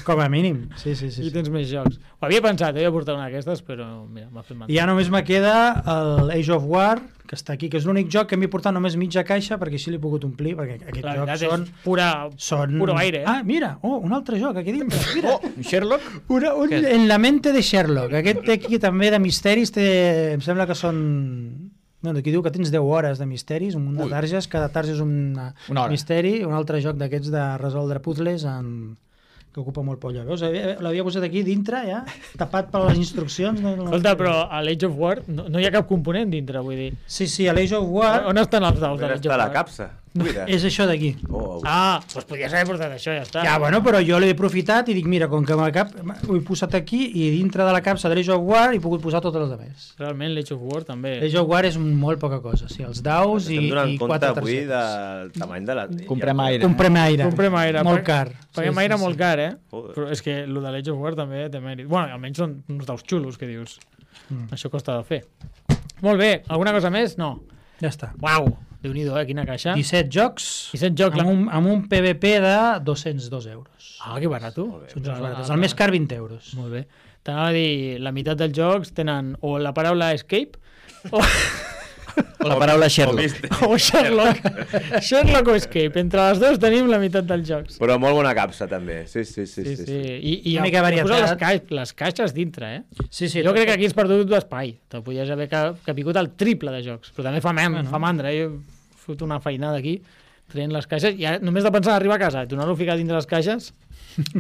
Com a mínim, sí, sí, sí. I sí. tens més jocs. Ho havia pensat, eh, de portar una d'aquestes, però mira, m'ha fet mal. I ja només me queda el Age of War, que està aquí, que és l'únic joc que m'he portat només mitja caixa, perquè així l'he pogut omplir, perquè aquests La jocs veritat són... és pura, Són... puro aire, eh? Ah, mira, oh, un altre joc aquí dintre, mira. Oh, Sherlock? Una, un, Què és? en la mente de Sherlock. Aquest té aquí també de misteris, té, em sembla que són... Bueno, aquí diu que tens deu hores de misteris, un munt de Ui. targes, cada tarja és una, Una hora. misteri, un altre joc d'aquests de resoldre puzzles en... que ocupa molt polla. Veus? Havia- L'havia posat aquí dintre, ja, tapat per les instruccions. No, no... Escolta, però a l'Age of War no, no hi ha cap component dintre, vull dir. Sí, sí, a l'Age of War On estan els daus de On l'Age està of la War? capsa? Cuida. és això d'aquí. Oh, oh. Ah, doncs podries haver portat això, ja està. Ja, bueno, però jo l'he aprofitat i dic, mira, com que me cap, ho he posat aquí i dintre de la capsa de l'Age of War he pogut posar totes les altres. Realment l'Age of War també. L'Age of War és molt poca cosa, sí, els daus i, Estem donant i compte quatre avui targetes. del tamany de la... Comprem aire. Comprem aire. Comprem aire. Molt Pag- car. Paguem Sí, aire sí, sí. molt car, eh? Joder. Però és que el de l'Age of War també té mèrit. Bueno, almenys són uns daus xulos, que dius. Mm. Això costa de fer. Molt bé, alguna cosa més? No. Ja està. Uau, Déu-n'hi-do, eh? Quina caixa. disset jocs disset jocs. amb un, amb un P V P de dos-cents dos euros. Ah, que barato. Són jocs baratos. El més car, vint euros. Molt bé. T'anava a dir, la meitat dels jocs tenen o la paraula escape o, O la paraula O Sherlock. vist- o Sherlock. Sherlock o escape. Entre les dues tenim la meitat dels jocs. Però molt bona capsa, també. Sí, sí, sí. Sí, sí, sí. sí. I, i Una mica i posa les, varietat. ca les caixes dintre, eh? Sí, sí. Jo crec que aquí has perdut l'espai. Te podies haver ca capigut el triple de jocs. Però també fa, mem, Bueno. fa mandra. Eh? Jo he fot una feinada aquí traient les caixes i ara, només de pensar en arribar a casa i tornar-ho a ficar dintre les caixes,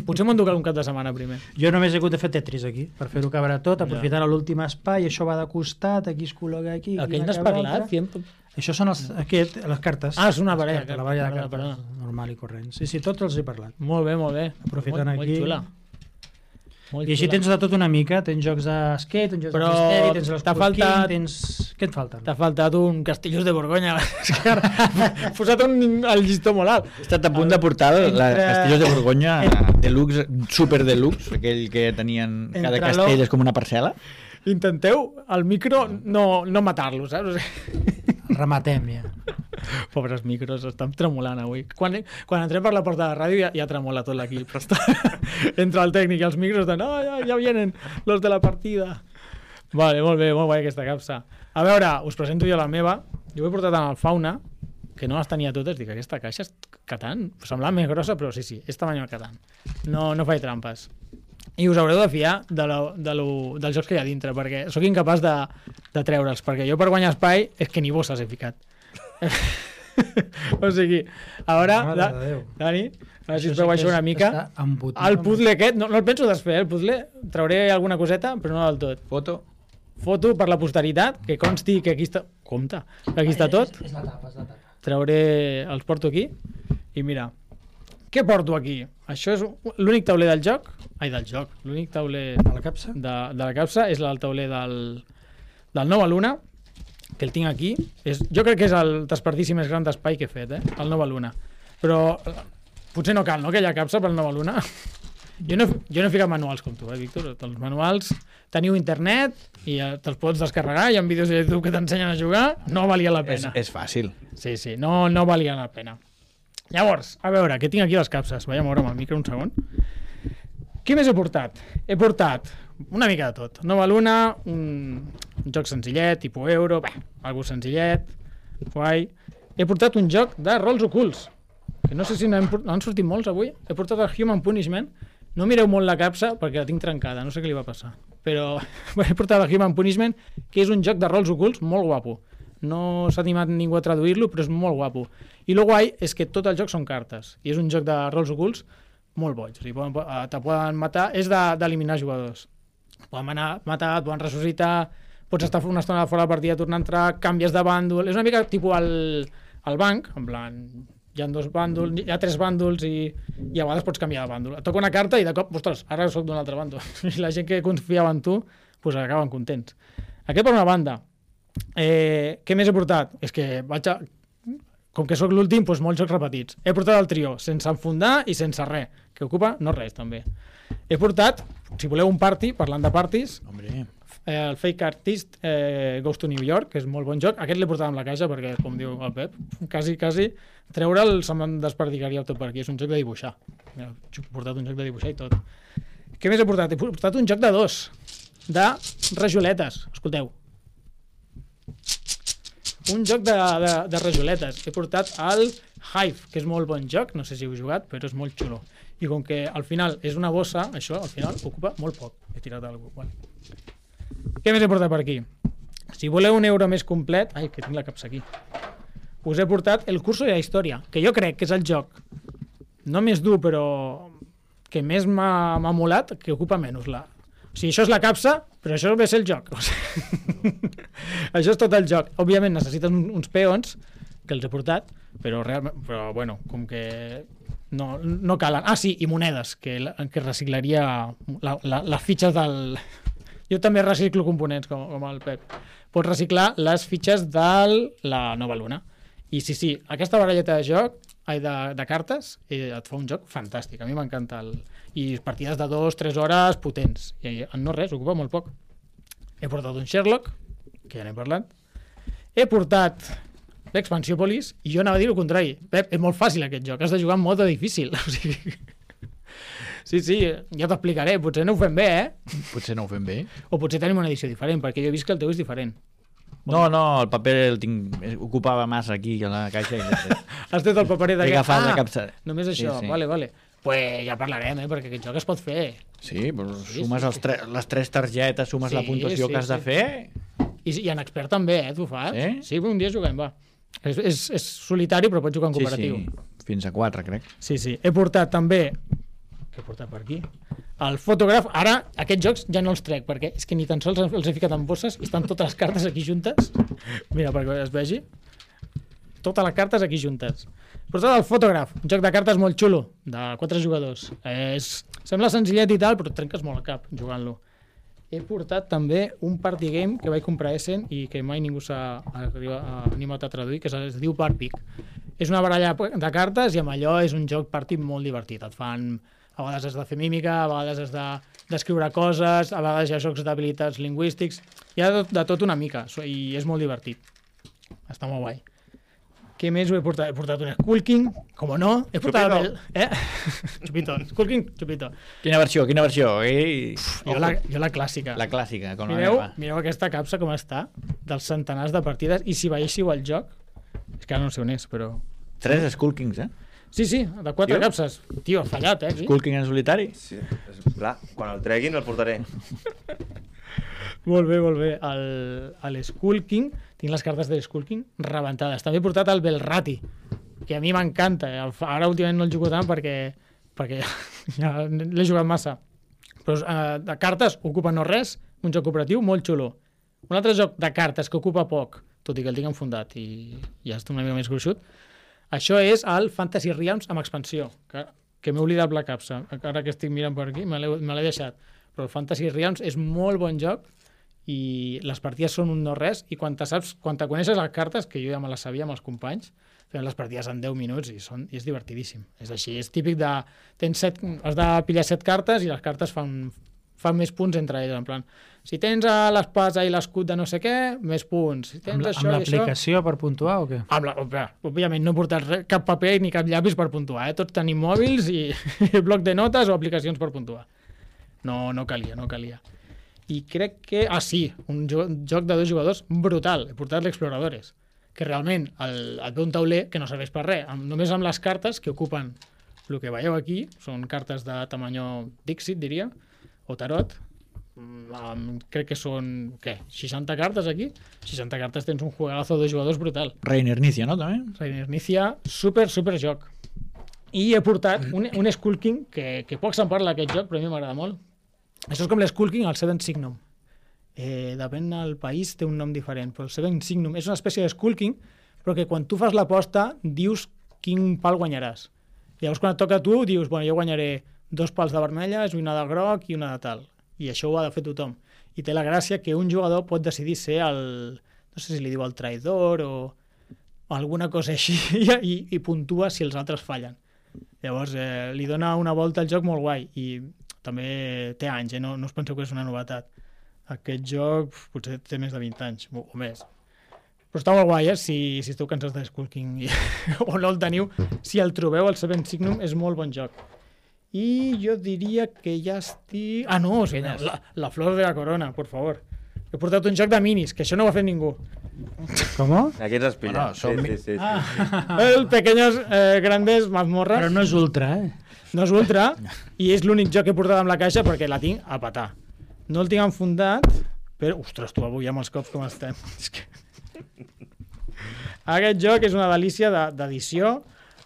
potser m'ho enducaré un cap de setmana primer. Jo només he hagut de fer Tetris aquí, per fer-ho cabre tot, aprofitant l'últim espai, això va de costat, aquí es col·loca aquí... aquí Aquell una n'has cabre parlat? altra. Fiem... Això són els, aquest, les cartes. Ah, és una Les baralla, cartes, la baralla de perdona, cartes, perdona. normal i corrent. Sí, sí, tots els he parlat. Molt bé, molt bé. Aprofitant molt, aquí. Molt xula. Molt I així xula. tens de tot una mica, tens jocs de skate, tens jocs Però de misteri, tens els t'ha Cooking, faltat- tens... Què et falten? T'ha faltat un Castellós de Borgonya. És que ara has posat un, el llistó molt alt. He estat a punt de portar el Entre- Castellós de Borgonya deluxe, super deluxe, aquell que tenien cada Entre castell lo- és com una parcel·la. Intenteu al micro no, no matar-lo, saps? O sigui, Rematem, ja. pobres micros, estan tremolant avui. Quan, quan entrem per la porta de la ràdio ja, ja tremola tot l'equip. Però està... Entre el tècnic i els micros de no, ja, ja vienen los de la partida. Vale, molt bé, molt guai aquesta capsa. A veure, us presento jo la meva. Jo ho he portat en el Fauna, que no les tenia totes. Dic, aquesta caixa és Catan. Semblava més grossa, però sí, sí, és tamany Catan. No, no faig trampes. I us haureu de fiar de lo, de lo, dels jocs que hi ha dintre, perquè sóc incapaç de, de treure'ls, perquè jo per guanyar espai és que ni bosses he ficat. O sigui, a veure, Mare da, de Déu. Dani, a veure si us Això veu sí que això una és- mica. està embotit El amb- puzzle aquest, no, no el penso desfer, eh, el puzzle, trauré alguna coseta, però no del tot. Foto. Foto per la posteritat, que consti que aquí està... Compte, que aquí està tot. És la tapa, és la tapa. Trauré, els porto aquí i mira, què porto aquí? Això és l'únic tauler del joc, ai del joc, l'únic tauler A la capsa? de, de la capsa és el tauler del, del Nova Luna, que el tinc aquí. És, jo crec que és el desperdici més gran d'espai que he fet, eh? El Nova Luna. Però eh, potser no cal, no?, aquella capsa pel Nova Luna. Jo no, jo no he ficat manuals com tu, eh, Víctor? Els manuals, teniu internet i eh, te'ls pots descarregar, hi ha vídeos de YouTube que t'ensenyen a jugar, no valia la És, pena. és fàcil. Sí, sí, no, no valia la pena. Llavors, a veure, què tinc aquí les capses? Vaig a moure amb el micro un segon. Què més he portat? He portat una mica de tot. Nova Luna, un, un joc senzillet, tipus euro, bé, algo senzillet, guai. He portat un joc de rols ocults, que no sé si n'han port- n'han sortit molts avui. He portat el Human Punishment. No mireu molt la capsa perquè la tinc trencada, no sé què li va passar. Però he portat el Human Punishment, que és un joc de rols ocults molt guapo. No s'ha animat ningú a traduir-lo, però és molt guapo. I el guai és que tot el joc són cartes. I és un joc de rols ocults molt boig. O sigui, poden, eh, te poden matar... És de- d'eliminar jugadors. Poden anar, matar, et poden ressuscitar, pots estar una estona fora de la partida, tornar a entrar, canvies de bàndol... És una mica tipus el, el banc, en plan... Hi ha dos bàndols, hi ha tres bàndols i, i a vegades pots canviar de bàndol. Et toca una carta i de cop, ostres, ara soc d'un altre bàndol. I la gent que confiava en tu, pues acaben contents. Aquest per una banda. Eh, què més he portat? És que vaig a... Com que sóc l'últim, doncs molts jocs repetits. He portat el trio, sense enfundar i sense res, que ocupa no res, també. He portat, si voleu un party, parlant de parties, Hombre, eh, el Fake Artist eh, Goes to New York, que és molt bon joc. Aquest l'he portat amb la caixa perquè, com diu el Pep, quasi, quasi, treure'l se me'n desperdicaria tot per aquí. És un joc de dibuixar. Mira, he portat un joc de dibuixar i tot. Què més he portat? He portat un joc de dos, de rajoletes. Escolteu. Un joc de, de, de rajoletes. He portat el Hive, que és molt bon joc, no sé si heu jugat, però és molt xulo. I com que al final és una bossa, això al final ocupa molt poc. He tirat algú. Vale. Què més he portat per aquí? Si voleu un euro més complet... Ai, que tinc la capsa aquí. Us he portat el curso de la història, que jo crec que és el joc no més dur, però que més m'ha m'ha molat, que ocupa menys la... O sigui, això és la capsa, però això ve a ser el joc. O sigui, això és tot el joc. Òbviament necessiten un- uns peons, que els he portat, però, realment, però bueno, com que no, no calen. Ah, sí, i monedes, que, la- que reciclaria la, la, les fitxes del... Jo també reciclo components, com, com el Pep. Pots reciclar les fitxes de la Nova Luna. I sí, sí, aquesta baralleta de joc, ai, de, de cartes, eh, et fa un joc fantàstic. A mi m'encanta. El... I partides de dos, tres hores potents. I en no res, ocupa molt poc. He portat un Sherlock, que ja n'he parlat. He portat l'Expansiòpolis, i jo anava a dir el contrari. Pep, és molt fàcil aquest joc, has de jugar en mode difícil. O sigui... Sí, sí, ja t'explicaré. Potser no ho fem bé, eh? potser no ho fem bé. O potser tenim una edició diferent, perquè jo he vist que el teu és diferent. No, no, el paper el tinc, ocupava massa aquí a la caixa i l'he Has tret el paperet he d'aquest? agafat la Ah, capsa. només això, Sí, sí. vale, vale. Pues ja parlarem, eh, perquè aquest joc es pot fer. Sí, però Sí, sumes sí, els tre les tres targetes, sumes Sí, la puntuació sí, que has de sí. fer... I, i en expert també, eh, tu fas? Sí? Sí, un dia juguem, va. És, és, és solitari, però pots jugar en Sí, cooperatiu. sí, fins a quatre, crec. Sí, sí. He portat també... Què he portat per aquí? El fotògraf. Ara, aquests jocs ja no els trec, perquè és que ni tan sols els he ficat en bosses i estan totes les cartes aquí juntes. Mira, perquè es vegi. Totes les cartes aquí juntes. Portat el Photograph, un joc de cartes molt xulo, de quatre jugadors. Eh, és, sembla senzillet i tal, però et trenques molt el cap jugant-lo. He portat també un party game que vaig comprar a Essen i que mai ningú s'ha arriba- ha animat a traduir, que es, es diu Parpic. És una baralla de cartes i amb allò és un joc party molt divertit. Et fan, a vegades has de fer mímica, a vegades has de d'escriure coses, a vegades hi ha jocs d'habilitats lingüístics, hi ha de, de tot una mica so- i és molt divertit. Està molt guai. Què més ho he portat? He portat un Skull King, com no? He portat Chupito. el... Eh? Chupito. Skull King, Chupito. Quina versió, quina versió? Ei, Jo la, jo la clàssica. la clàssica, com la Mireu, meva. mireu aquesta capsa com està, dels centenars de partides, i si veiéssiu el joc, és que ara no sé on és, però... Tres Skull Kings, eh? Sí, sí, de quatre Tio. capses. Tio, ha fallat, eh? Aquí. Skull King en solitari. Sí, és, clar, quan el treguin el portaré. Molt bé, molt bé. El, el Skull King, tinc les cartes de Skull King rebentades. També he portat el Belrati, que a mi m'encanta. El- Ara últimament no el jugo tant perquè, perquè ja l'he jugat massa. Però eh, de cartes ocupa no res, un joc cooperatiu molt xulo. Un altre joc de cartes que ocupa poc, tot i que el tinc enfundat i ja està una mica més gruixut, això és el Fantasy Realms amb expansió, que, que m'he oblidat la capsa. Ara que estic mirant per aquí, me l'he me l'he deixat. Però el Fantasy Realms és molt bon joc i les partides són un no res i quan te saps, quan te coneixes les cartes, que jo ja me les sabia amb els companys, fem les partides en deu minuts i, són, i és divertidíssim. És així, és típic de... Tens set, has de pillar set cartes i les cartes fan, fan més punts entre elles, en plan, si tens a l'espasa i l'escut de no sé què, més punts. Si tens Amb, la- això amb i això... l'aplicació per puntuar o què? Amb la, òbvia- òbviament no he portat res, cap paper ni cap llapis per puntuar, eh? Tots tenim mòbils i bloc de notes o aplicacions per puntuar. No, no calia, no calia. I crec que... Ah, sí, un, jo, un joc de dos jugadors brutal. He portat l'Exploradores, que realment el, et ve un tauler que no serveix per res, amb, només amb les cartes que ocupen el que veieu aquí, són cartes de tamany Dixit, diria, o tarot. Mm, amb- crec que són, què, seixanta cartes aquí? seixanta cartes tens un juegazo de dos jugadors brutal. Reiner Nicia, no, també? Reiner Nicia, super, super joc. I he portat un, un Skull King, que, que poc se'n parla d'aquest joc, però a mi m'agrada molt. Això és com l'Skull King, el Seven Signum. Eh, depèn del país, té un nom diferent, però el Seven Signum és una espècie de Skull King, però que quan tu fas l'aposta dius quin pal guanyaràs. Llavors quan et toca a tu dius, bueno, jo guanyaré dos pals de vermelles, una de groc i una de tal. I això ho ha de fer tothom. I té la gràcia que un jugador pot decidir ser el... no sé si li diu el traïdor o o alguna cosa així i, i puntua si els altres fallen. Llavors eh, li dona una volta al joc molt guai i també té anys, eh? no, no us penseu que és una novetat. Aquest joc pf, potser té més de vint anys o, o més. Però està molt guai, eh? Si, si esteu cansats de Skull King i, o no el teniu, si el trobeu, el Seven Signum és molt bon joc. I jo diria que ja estic... Ah, no, o sigui, la, la flor de la corona, per favor. He portat un joc de minis, que això no ho ha fet ningú. Com? Aquí ens has pillat. Bueno, som- sí, sí, sí, sí. Ah. El Pequeños eh, Grandes Mazmorras. Però no és ultra, eh? No és ultra, i és l'únic joc que he portat amb la caixa perquè la tinc a patar. No el tinc enfundat, però... Ostres, tu avui amb els cops com estem. És que... Aquest joc és una delícia de- d'edició,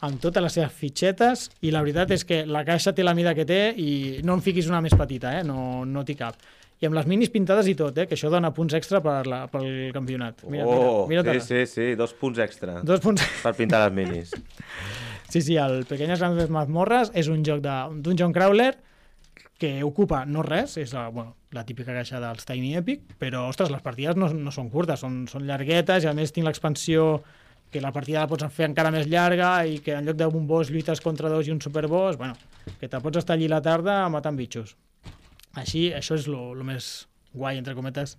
amb totes les seves fitxetes, i la veritat és que la caixa té la mida que té i no en fiquis una més petita, eh? no, no t'hi cap. I amb les minis pintades i tot, eh? Que això dona punts extra per la, pel campionat. Mira, Oh, mira, mira sí, sí, sí, dos punts extra Dos punts... per pintar les minis. Sí, sí, el Pequeñas Grandes Mazmorras és un joc de un dungeon crawler que ocupa no res, és la, bueno, la típica caixa dels Tiny Epic, però, ostres, les partides no, no són curtes, són, són llarguetes, i a més tinc l'expansió que la partida la pots fer encara més llarga i que en lloc d'un boss lluites contra dos i un superboss, bueno, que te pots estar allí la tarda matant bitxos. Així, això és el més guai, entre cometes,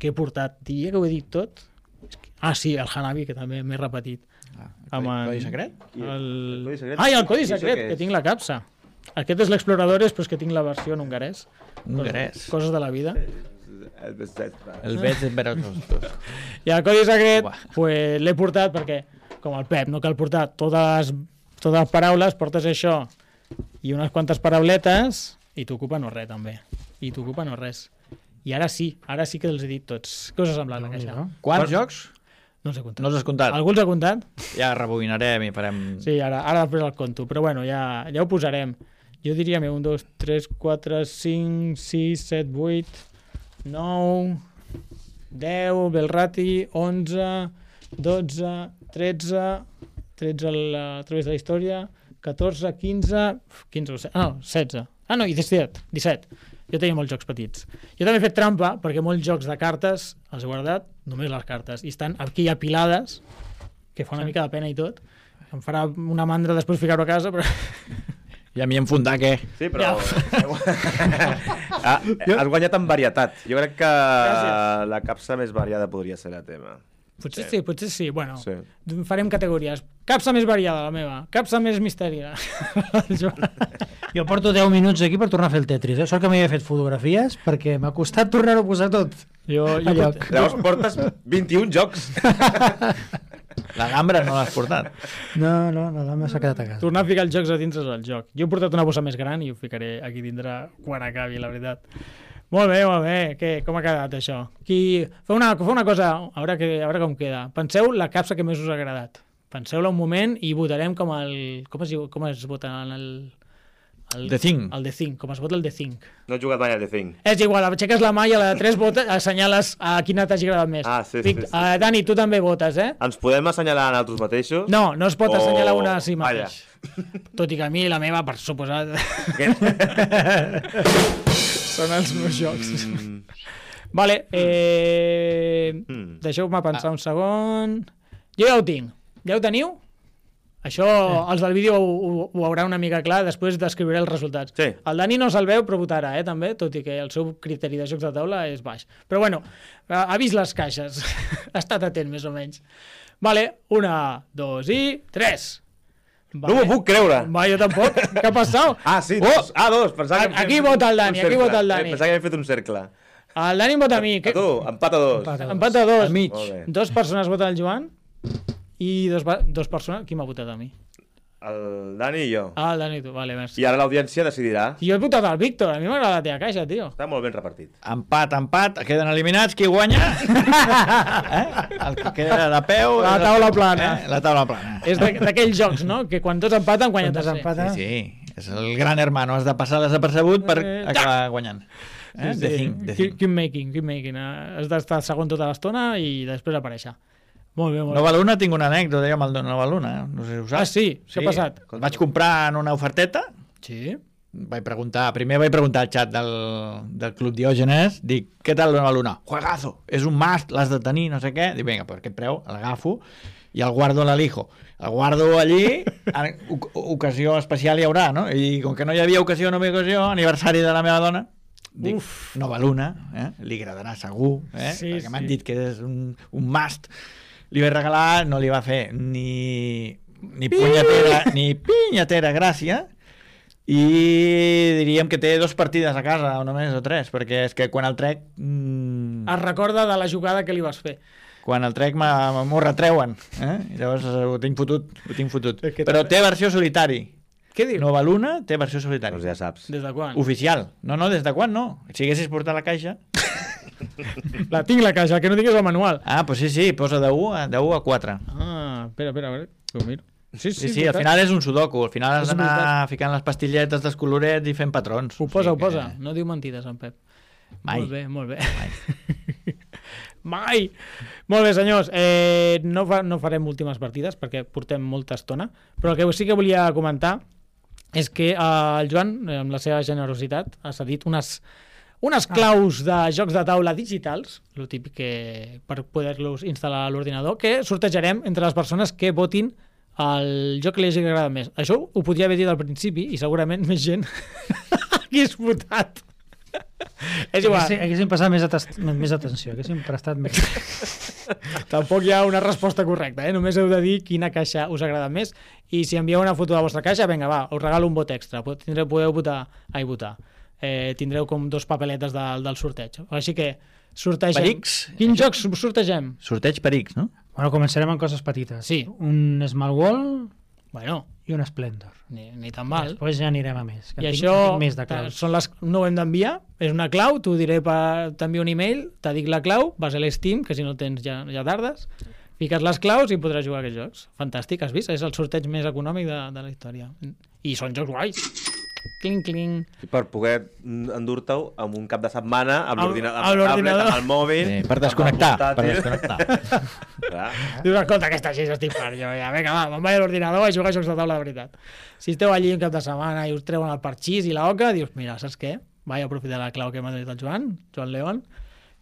que he portat. Diria que ho he dit tot? És que... Ah, sí, el Hanabi, que també m'he repetit. Ah, Amb codi, en- codi secret? I el- El... el codi secret? Ah, i el codi I això secret, què que és? tinc la capsa. Aquest és l'Exploradores, però és que tinc la versió en hongarès. Hongarès. Coses de la vida. El veig en veure tots. I el codi secret, Uah. pues, l'he portat perquè, com el Pep, no cal portar totes, totes les paraules, portes això i unes quantes parauletes i t'ocupa no res, també. I t'ocupa no res. I ara sí, ara sí que els he dit tots. Què us ha semblat la caixa? No? Quants jocs? No els he comptat. No els has comptat? Algú els ha comptat? Ja rebobinarem i farem... Sí, ara, ara després el conto, però bueno, ja, ja ho posarem. Jo diria, un, dos, tres, quatre, cinc, sis, set, vuit, nou, deu, Belrati, onze, dotze, tretze, tretze al- a través de la història, catorze, quinze, quinze o setze, ah, no, setze. Ah, no, i disset, disset. Jo tenia molts jocs petits. Jo també he fet trampa, perquè molts jocs de cartes els he guardat, només les cartes, i estan aquí apilades, que fa una mica de pena i tot. Em farà una mandra després ficar-ho a casa, però... I a mi enfundar, què? Sí, però... ah, has guanyat en varietat. Jo crec que Gràcies. la capsa més variada podria ser la teva. Potser sí, potser sí. Bueno, Sí. farem categories. Capsa més variada, la meva. Capsa més misteri. El Joan. Jo porto deu minuts aquí per tornar a fer el Tetris. Eh? Sort que m'havia fet fotografies perquè m'ha costat tornar-ho a posar tot. Jo, A jo, lloc. Llavors portes vint-i-un jocs. La gambra no l'has portat. No, no, no, no m'ha quedat a casa. tornar a ficar els jocs a dins és el joc. Jo he portat una bossa més gran i ho ficaré aquí dintre quan acabi, la veritat. Molt bé, molt bé. Què, com ha quedat això? Qui... Fa una, fa una cosa, a veure, que, a veure com queda. Penseu la capsa que més us ha agradat. Penseu-la un moment i votarem com el... Com es, diu, com es vota en el... el The Thing. El The Thing, com es vota el The Thing. No he jugat mai a The Thing. És igual, aixeques la mà i a la de tres votes assenyales a quina t'hagi agradat més. Ah, sí, sí, Vic- sí, sí. Uh, Dani, tu també votes, eh? Ens podem assenyalar en altres mateixos? No, no es pot O- assenyalar una a si Vaja. mateix. Tot i que a mi la meva, per suposat, Què? són els meus jocs. Mm, Vale, eh... mm. deixeu-me pensar un segon. Jo ja ho tinc. Ja ho teniu? Això, els del vídeo ho, ho, ho haurà una mica clar, després descriuré els resultats. Sí. El Dani no se'l veu, però votarà, eh, també, tot i que el seu criteri de jocs de taula és baix. Però bueno, ha ha vist les caixes. Ha estat atent, més o menys. Vale, una, dos i tres. No m'ho puc creure. Va, jo tampoc. Què ha passat? Ah, sí, dos. Ah, dos. Pensava que Aquí havíem fet vota el un Dani, aquí cercle. vota el Eh, Dani. Pensava que havíem fet un cercle. El Dani em vota a mi. A tu, empat a dos. Empat a dos. Empat a dos. Al mig. Molt bé. Dos persones voten el Joan i dos, va- dos persones... Qui m'ha votat a mi? El Dani i jo. Ah, el Dani, tu. Vale, merci. I ara l'audiència decidirà. I jo he votat al Víctor. A mi m'agrada la teva caixa, tio. Està molt ben repartit. Empat, empat, queden eliminats. Qui guanya? eh? El que queda de peu... La és- taula plana. Eh? La taula plana. És de- d'aquells jocs, no? Que quan tots empaten, guanya Quan tercer. desempata... Sí, sí, és el gran hermano. Has de passar desapercebut per Eh, acabar guanyant. Eh? Sí, The sí. Thing, The Keep, Thing. keep making, keep making. Eh, Has d'estar segon tota l'estona i després aparèixer. Molt bé, molt Nova bé. Luna tinc una anècdota jo amb el Nova Luna. eh? No sé si ho saps. Ah, sí? Què ha passat? El vaig comprar en una oferteta. Sí. Vaig preguntar, primer vaig preguntar al xat del, del Club Diògenes, dic, què tal Nova Luna? Juegazo, és un must, l'has de tenir, no sé què. Dic, vinga, per aquest preu, l'agafo i el guardo a l'Alijo. El guardo allí, en oc- ocasió especial hi haurà, no? I com que no hi havia ocasió, no hi havia ocasió, aniversari de la meva dona, dic, Uf. Nova Luna, eh? Li agradarà segur, eh? Sí, Perquè m'han sí. dit que és un, un must. Li vaig regalar, no li va fer ni, ni punyetera, ni pinyatera gràcia, i diríem que té dos partides a casa, o només, o tres, perquè és que quan el trec... Mm, Es recorda de la jugada que li vas fer. quan el trec m'ha- m'ho retreuen, eh? I llavors eh, ho tinc fotut, ho tinc fotut. És que Però també- té versió solitari. Què dius? Nova Luna té versió solitari. Doncs ja saps. Des de quan? Oficial. No, no, des de quan no? Si haguessis portat la caixa... La tinc, la caixa, el que no tinc és el manual. Ah, doncs sí, sí, posa de u a, de u a quatre. Ah, espera, espera, a veure. Ho miro. Sí, Sí, sí, al final és un sudoku. Al final has És d'anar veritat. ficant les pastilletes dels colorets i fent patrons. Ho posa, O ho sigui posa. que- No diu mentides, en Pep. Mai. Molt bé, molt bé. Mai! Molt bé, senyors. Eh, no, fa, no farem últimes partides perquè portem molta estona, però el que sí que volia comentar és que eh, el Joan, eh, amb la seva generositat, ha cedit unes, unes claus de jocs de taula digitals, el típic que per poder-los instal·lar a l'ordinador, que sortejarem entre les persones que votin el joc que li hagi agradat més. Això ho podria haver dit al principi i segurament més gent hagués votat. És igual. Haguéssim, haguéssim passat més, atest, més atenció, haguéssim prestat més. Tampoc hi ha una resposta correcta, eh? Només heu de dir quina caixa us agrada més i si envieu una foto de la vostra caixa, vinga, va, us regalo un vot extra. Pod- Tindreu, podeu votar, ai, votar. Eh, tindreu com dos papeletes de, del sorteig. Així que sortegem. Perics? Quins jocs sortegem? Sorteig per X, no? Bueno, començarem amb coses petites. Sí. Un Small Wall Bueno, i un Splendor. ni, ni tan mal. Després ja anirem a més. Que I en tinc, això en tinc més de ta- claus. són les, no ho hem d'enviar, és una clau, t'ho diré, per- t'envio un email, te dic la clau, vas a l'Steam, que si no tens ja, ja tardes, fiques les claus i podràs jugar a aquests jocs. Fantàstic, has vist? És el sorteig més econòmic de, de la història. I són jocs guais. cling, cling. I per poder endur-te-ho amb un cap de setmana amb Amb- l'ordinador, amb amb el tablet, l'ordinador. amb el mòbil... Sí, per amb el desconnectar, per portàtil. desconnectar. Clar. Dius, escolta, aquesta així estic fart. Jo, ja, vinga, va, me'n vaig a l'ordinador i jugar a jocs de taula de veritat. Si esteu allí un cap de setmana i us treuen el parxís i la oca, dius, mira, saps què? Vaig aprofitar la clau que m'ha donat el Joan, Joan León,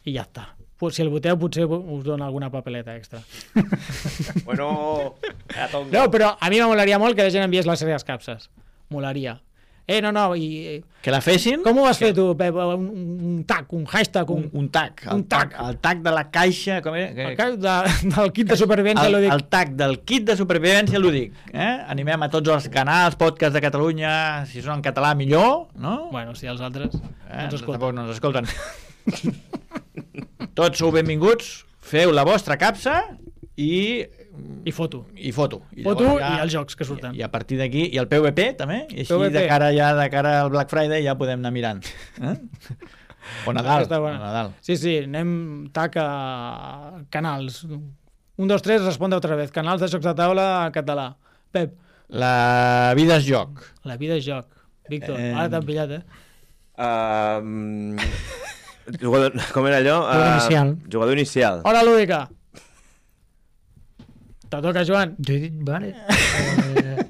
i ja està. Pues si el voteu potser us dona alguna papeleta extra. Bueno, a tonga. No, però a mi m'amolaria molt que la gent enviés les seves capses. Molaria. Eh, no, no, i... Que la fessin... Com ho vas fer tu, Pep? Un, un tag, un hashtag, Un, un... un tag. El Un tag. El tag de la caixa... Com era? El cas de, del kit de supervivència, el, lo dic. el tag del kit de supervivència lúdic. Eh? Animem a tots els canals, podcasts de Catalunya, si són en català millor, no? Bueno, si els altres eh? ens escolten. Tampoc no ens escolten. Tots sou benvinguts, feu la vostra capsa i... I foto. I foto. I Foto llavors i els jocs que surten. I a partir d'aquí, i el P V P també, i així P V P. de cara ja de cara al Black Friday ja podem anar mirant. Eh? O Nadal, Està o bona. Nadal. Sí, sí, anem tac a canals. Un, dos, tres, respondre otra vez. Canals de jocs de taula en català. Pep, La vida és joc. la vida és joc. Víctor, Eh, ara t'han pillat, eh? Um, jugador, com era allò? Jugador Uh, inicial. Jugador inicial. Hora lúdica. Te toca, Joan. Jo he dit, vale. Eh,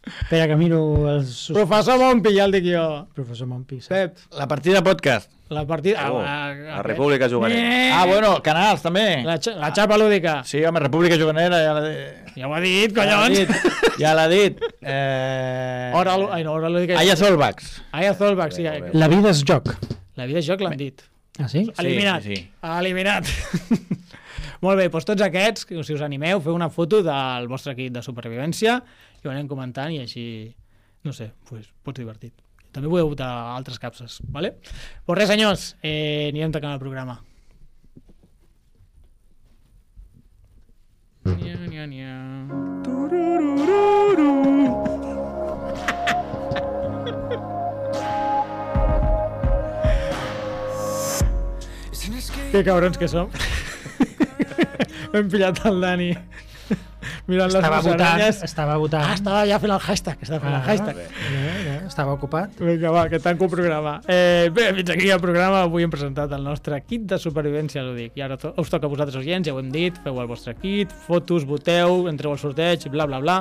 espera, que miro els... sus- Professor Mompi, ja el dic jo. Professor Mompi. sí. Pep, La partida podcast. la partida... Oh, ah, la República Juganera. Ah, bueno, canals també. La, xa- la xapa lúdica. Sí, home, República Juganera ja l'ha dit. Ja ho ha dit, Ja l'ha collons. dit. Ja l'ha dit. Eh... Hora, lú- ai, no, hora lúdica. Aya Solvax. Aya Zolbach, sí. Molt bé. La vida és joc. La vida és joc, l'han dit. Ah, sí? Eliminat. sí, sí. Eliminat. Molt bé, doncs tots aquests, que si us animeu, feu una foto del vostre kit de supervivència i ho anem comentant i així, no sé, pues, pot ser divertit. També podeu votar altres capses, ¿vale? Pues res, senyors, eh, anirem tacant el programa. Nia, nia, nia. Tururururu. Que cabrons que som. Hem pillat el Dani mirant les Estava votant. musaranyes. Estava votant. Ah, estava ja fent el hashtag. Estava fent el Ah, hashtag. eh, eh, estava ocupat. Vinga, va, que tanco el programa. Eh, bé, fins aquí el programa. Avui hem presentat el nostre kit de supervivència lúdic. I ara to us toca a vosaltres, oients, ja ho hem dit. Feu el vostre kit, fotos, voteu, entreu al sorteig, bla, bla, bla.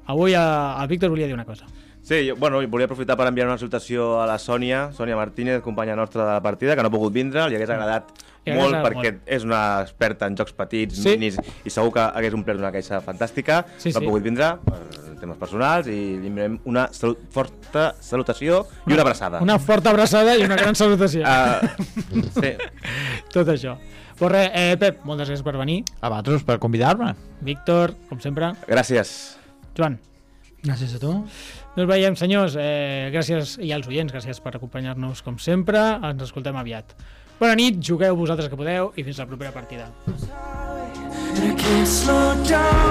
Avui a, el Víctor volia dir una cosa. Sí, jo, bueno, volia aprofitar per enviar una salutació a la Sònia, Sònia Martínez, companya nostra de la partida, que no ha pogut vindre, li hagués agradat Li hagués molt agradat perquè molt. és una experta en jocs petits, Sí. minis, i segur que hagués omplert una caixa fantàstica. Sí, no ha sí. pogut vindre per temes personals i li enviem una salut, forta salutació i una abraçada. Una forta abraçada i una gran salutació. Uh, sí. Tot això. Pues res, eh, Pep, moltes gràcies per venir. A vosaltres per convidar-me. Víctor, com sempre. Gràcies. Joan. Gràcies a tu. Nos veiem, senyors. Eh, gràcies, i als oients, gràcies per acompanyar-nos com sempre. Ens escoltem aviat. Bona nit, jugueu vosaltres que podeu i fins la propera partida. And I can't slow down.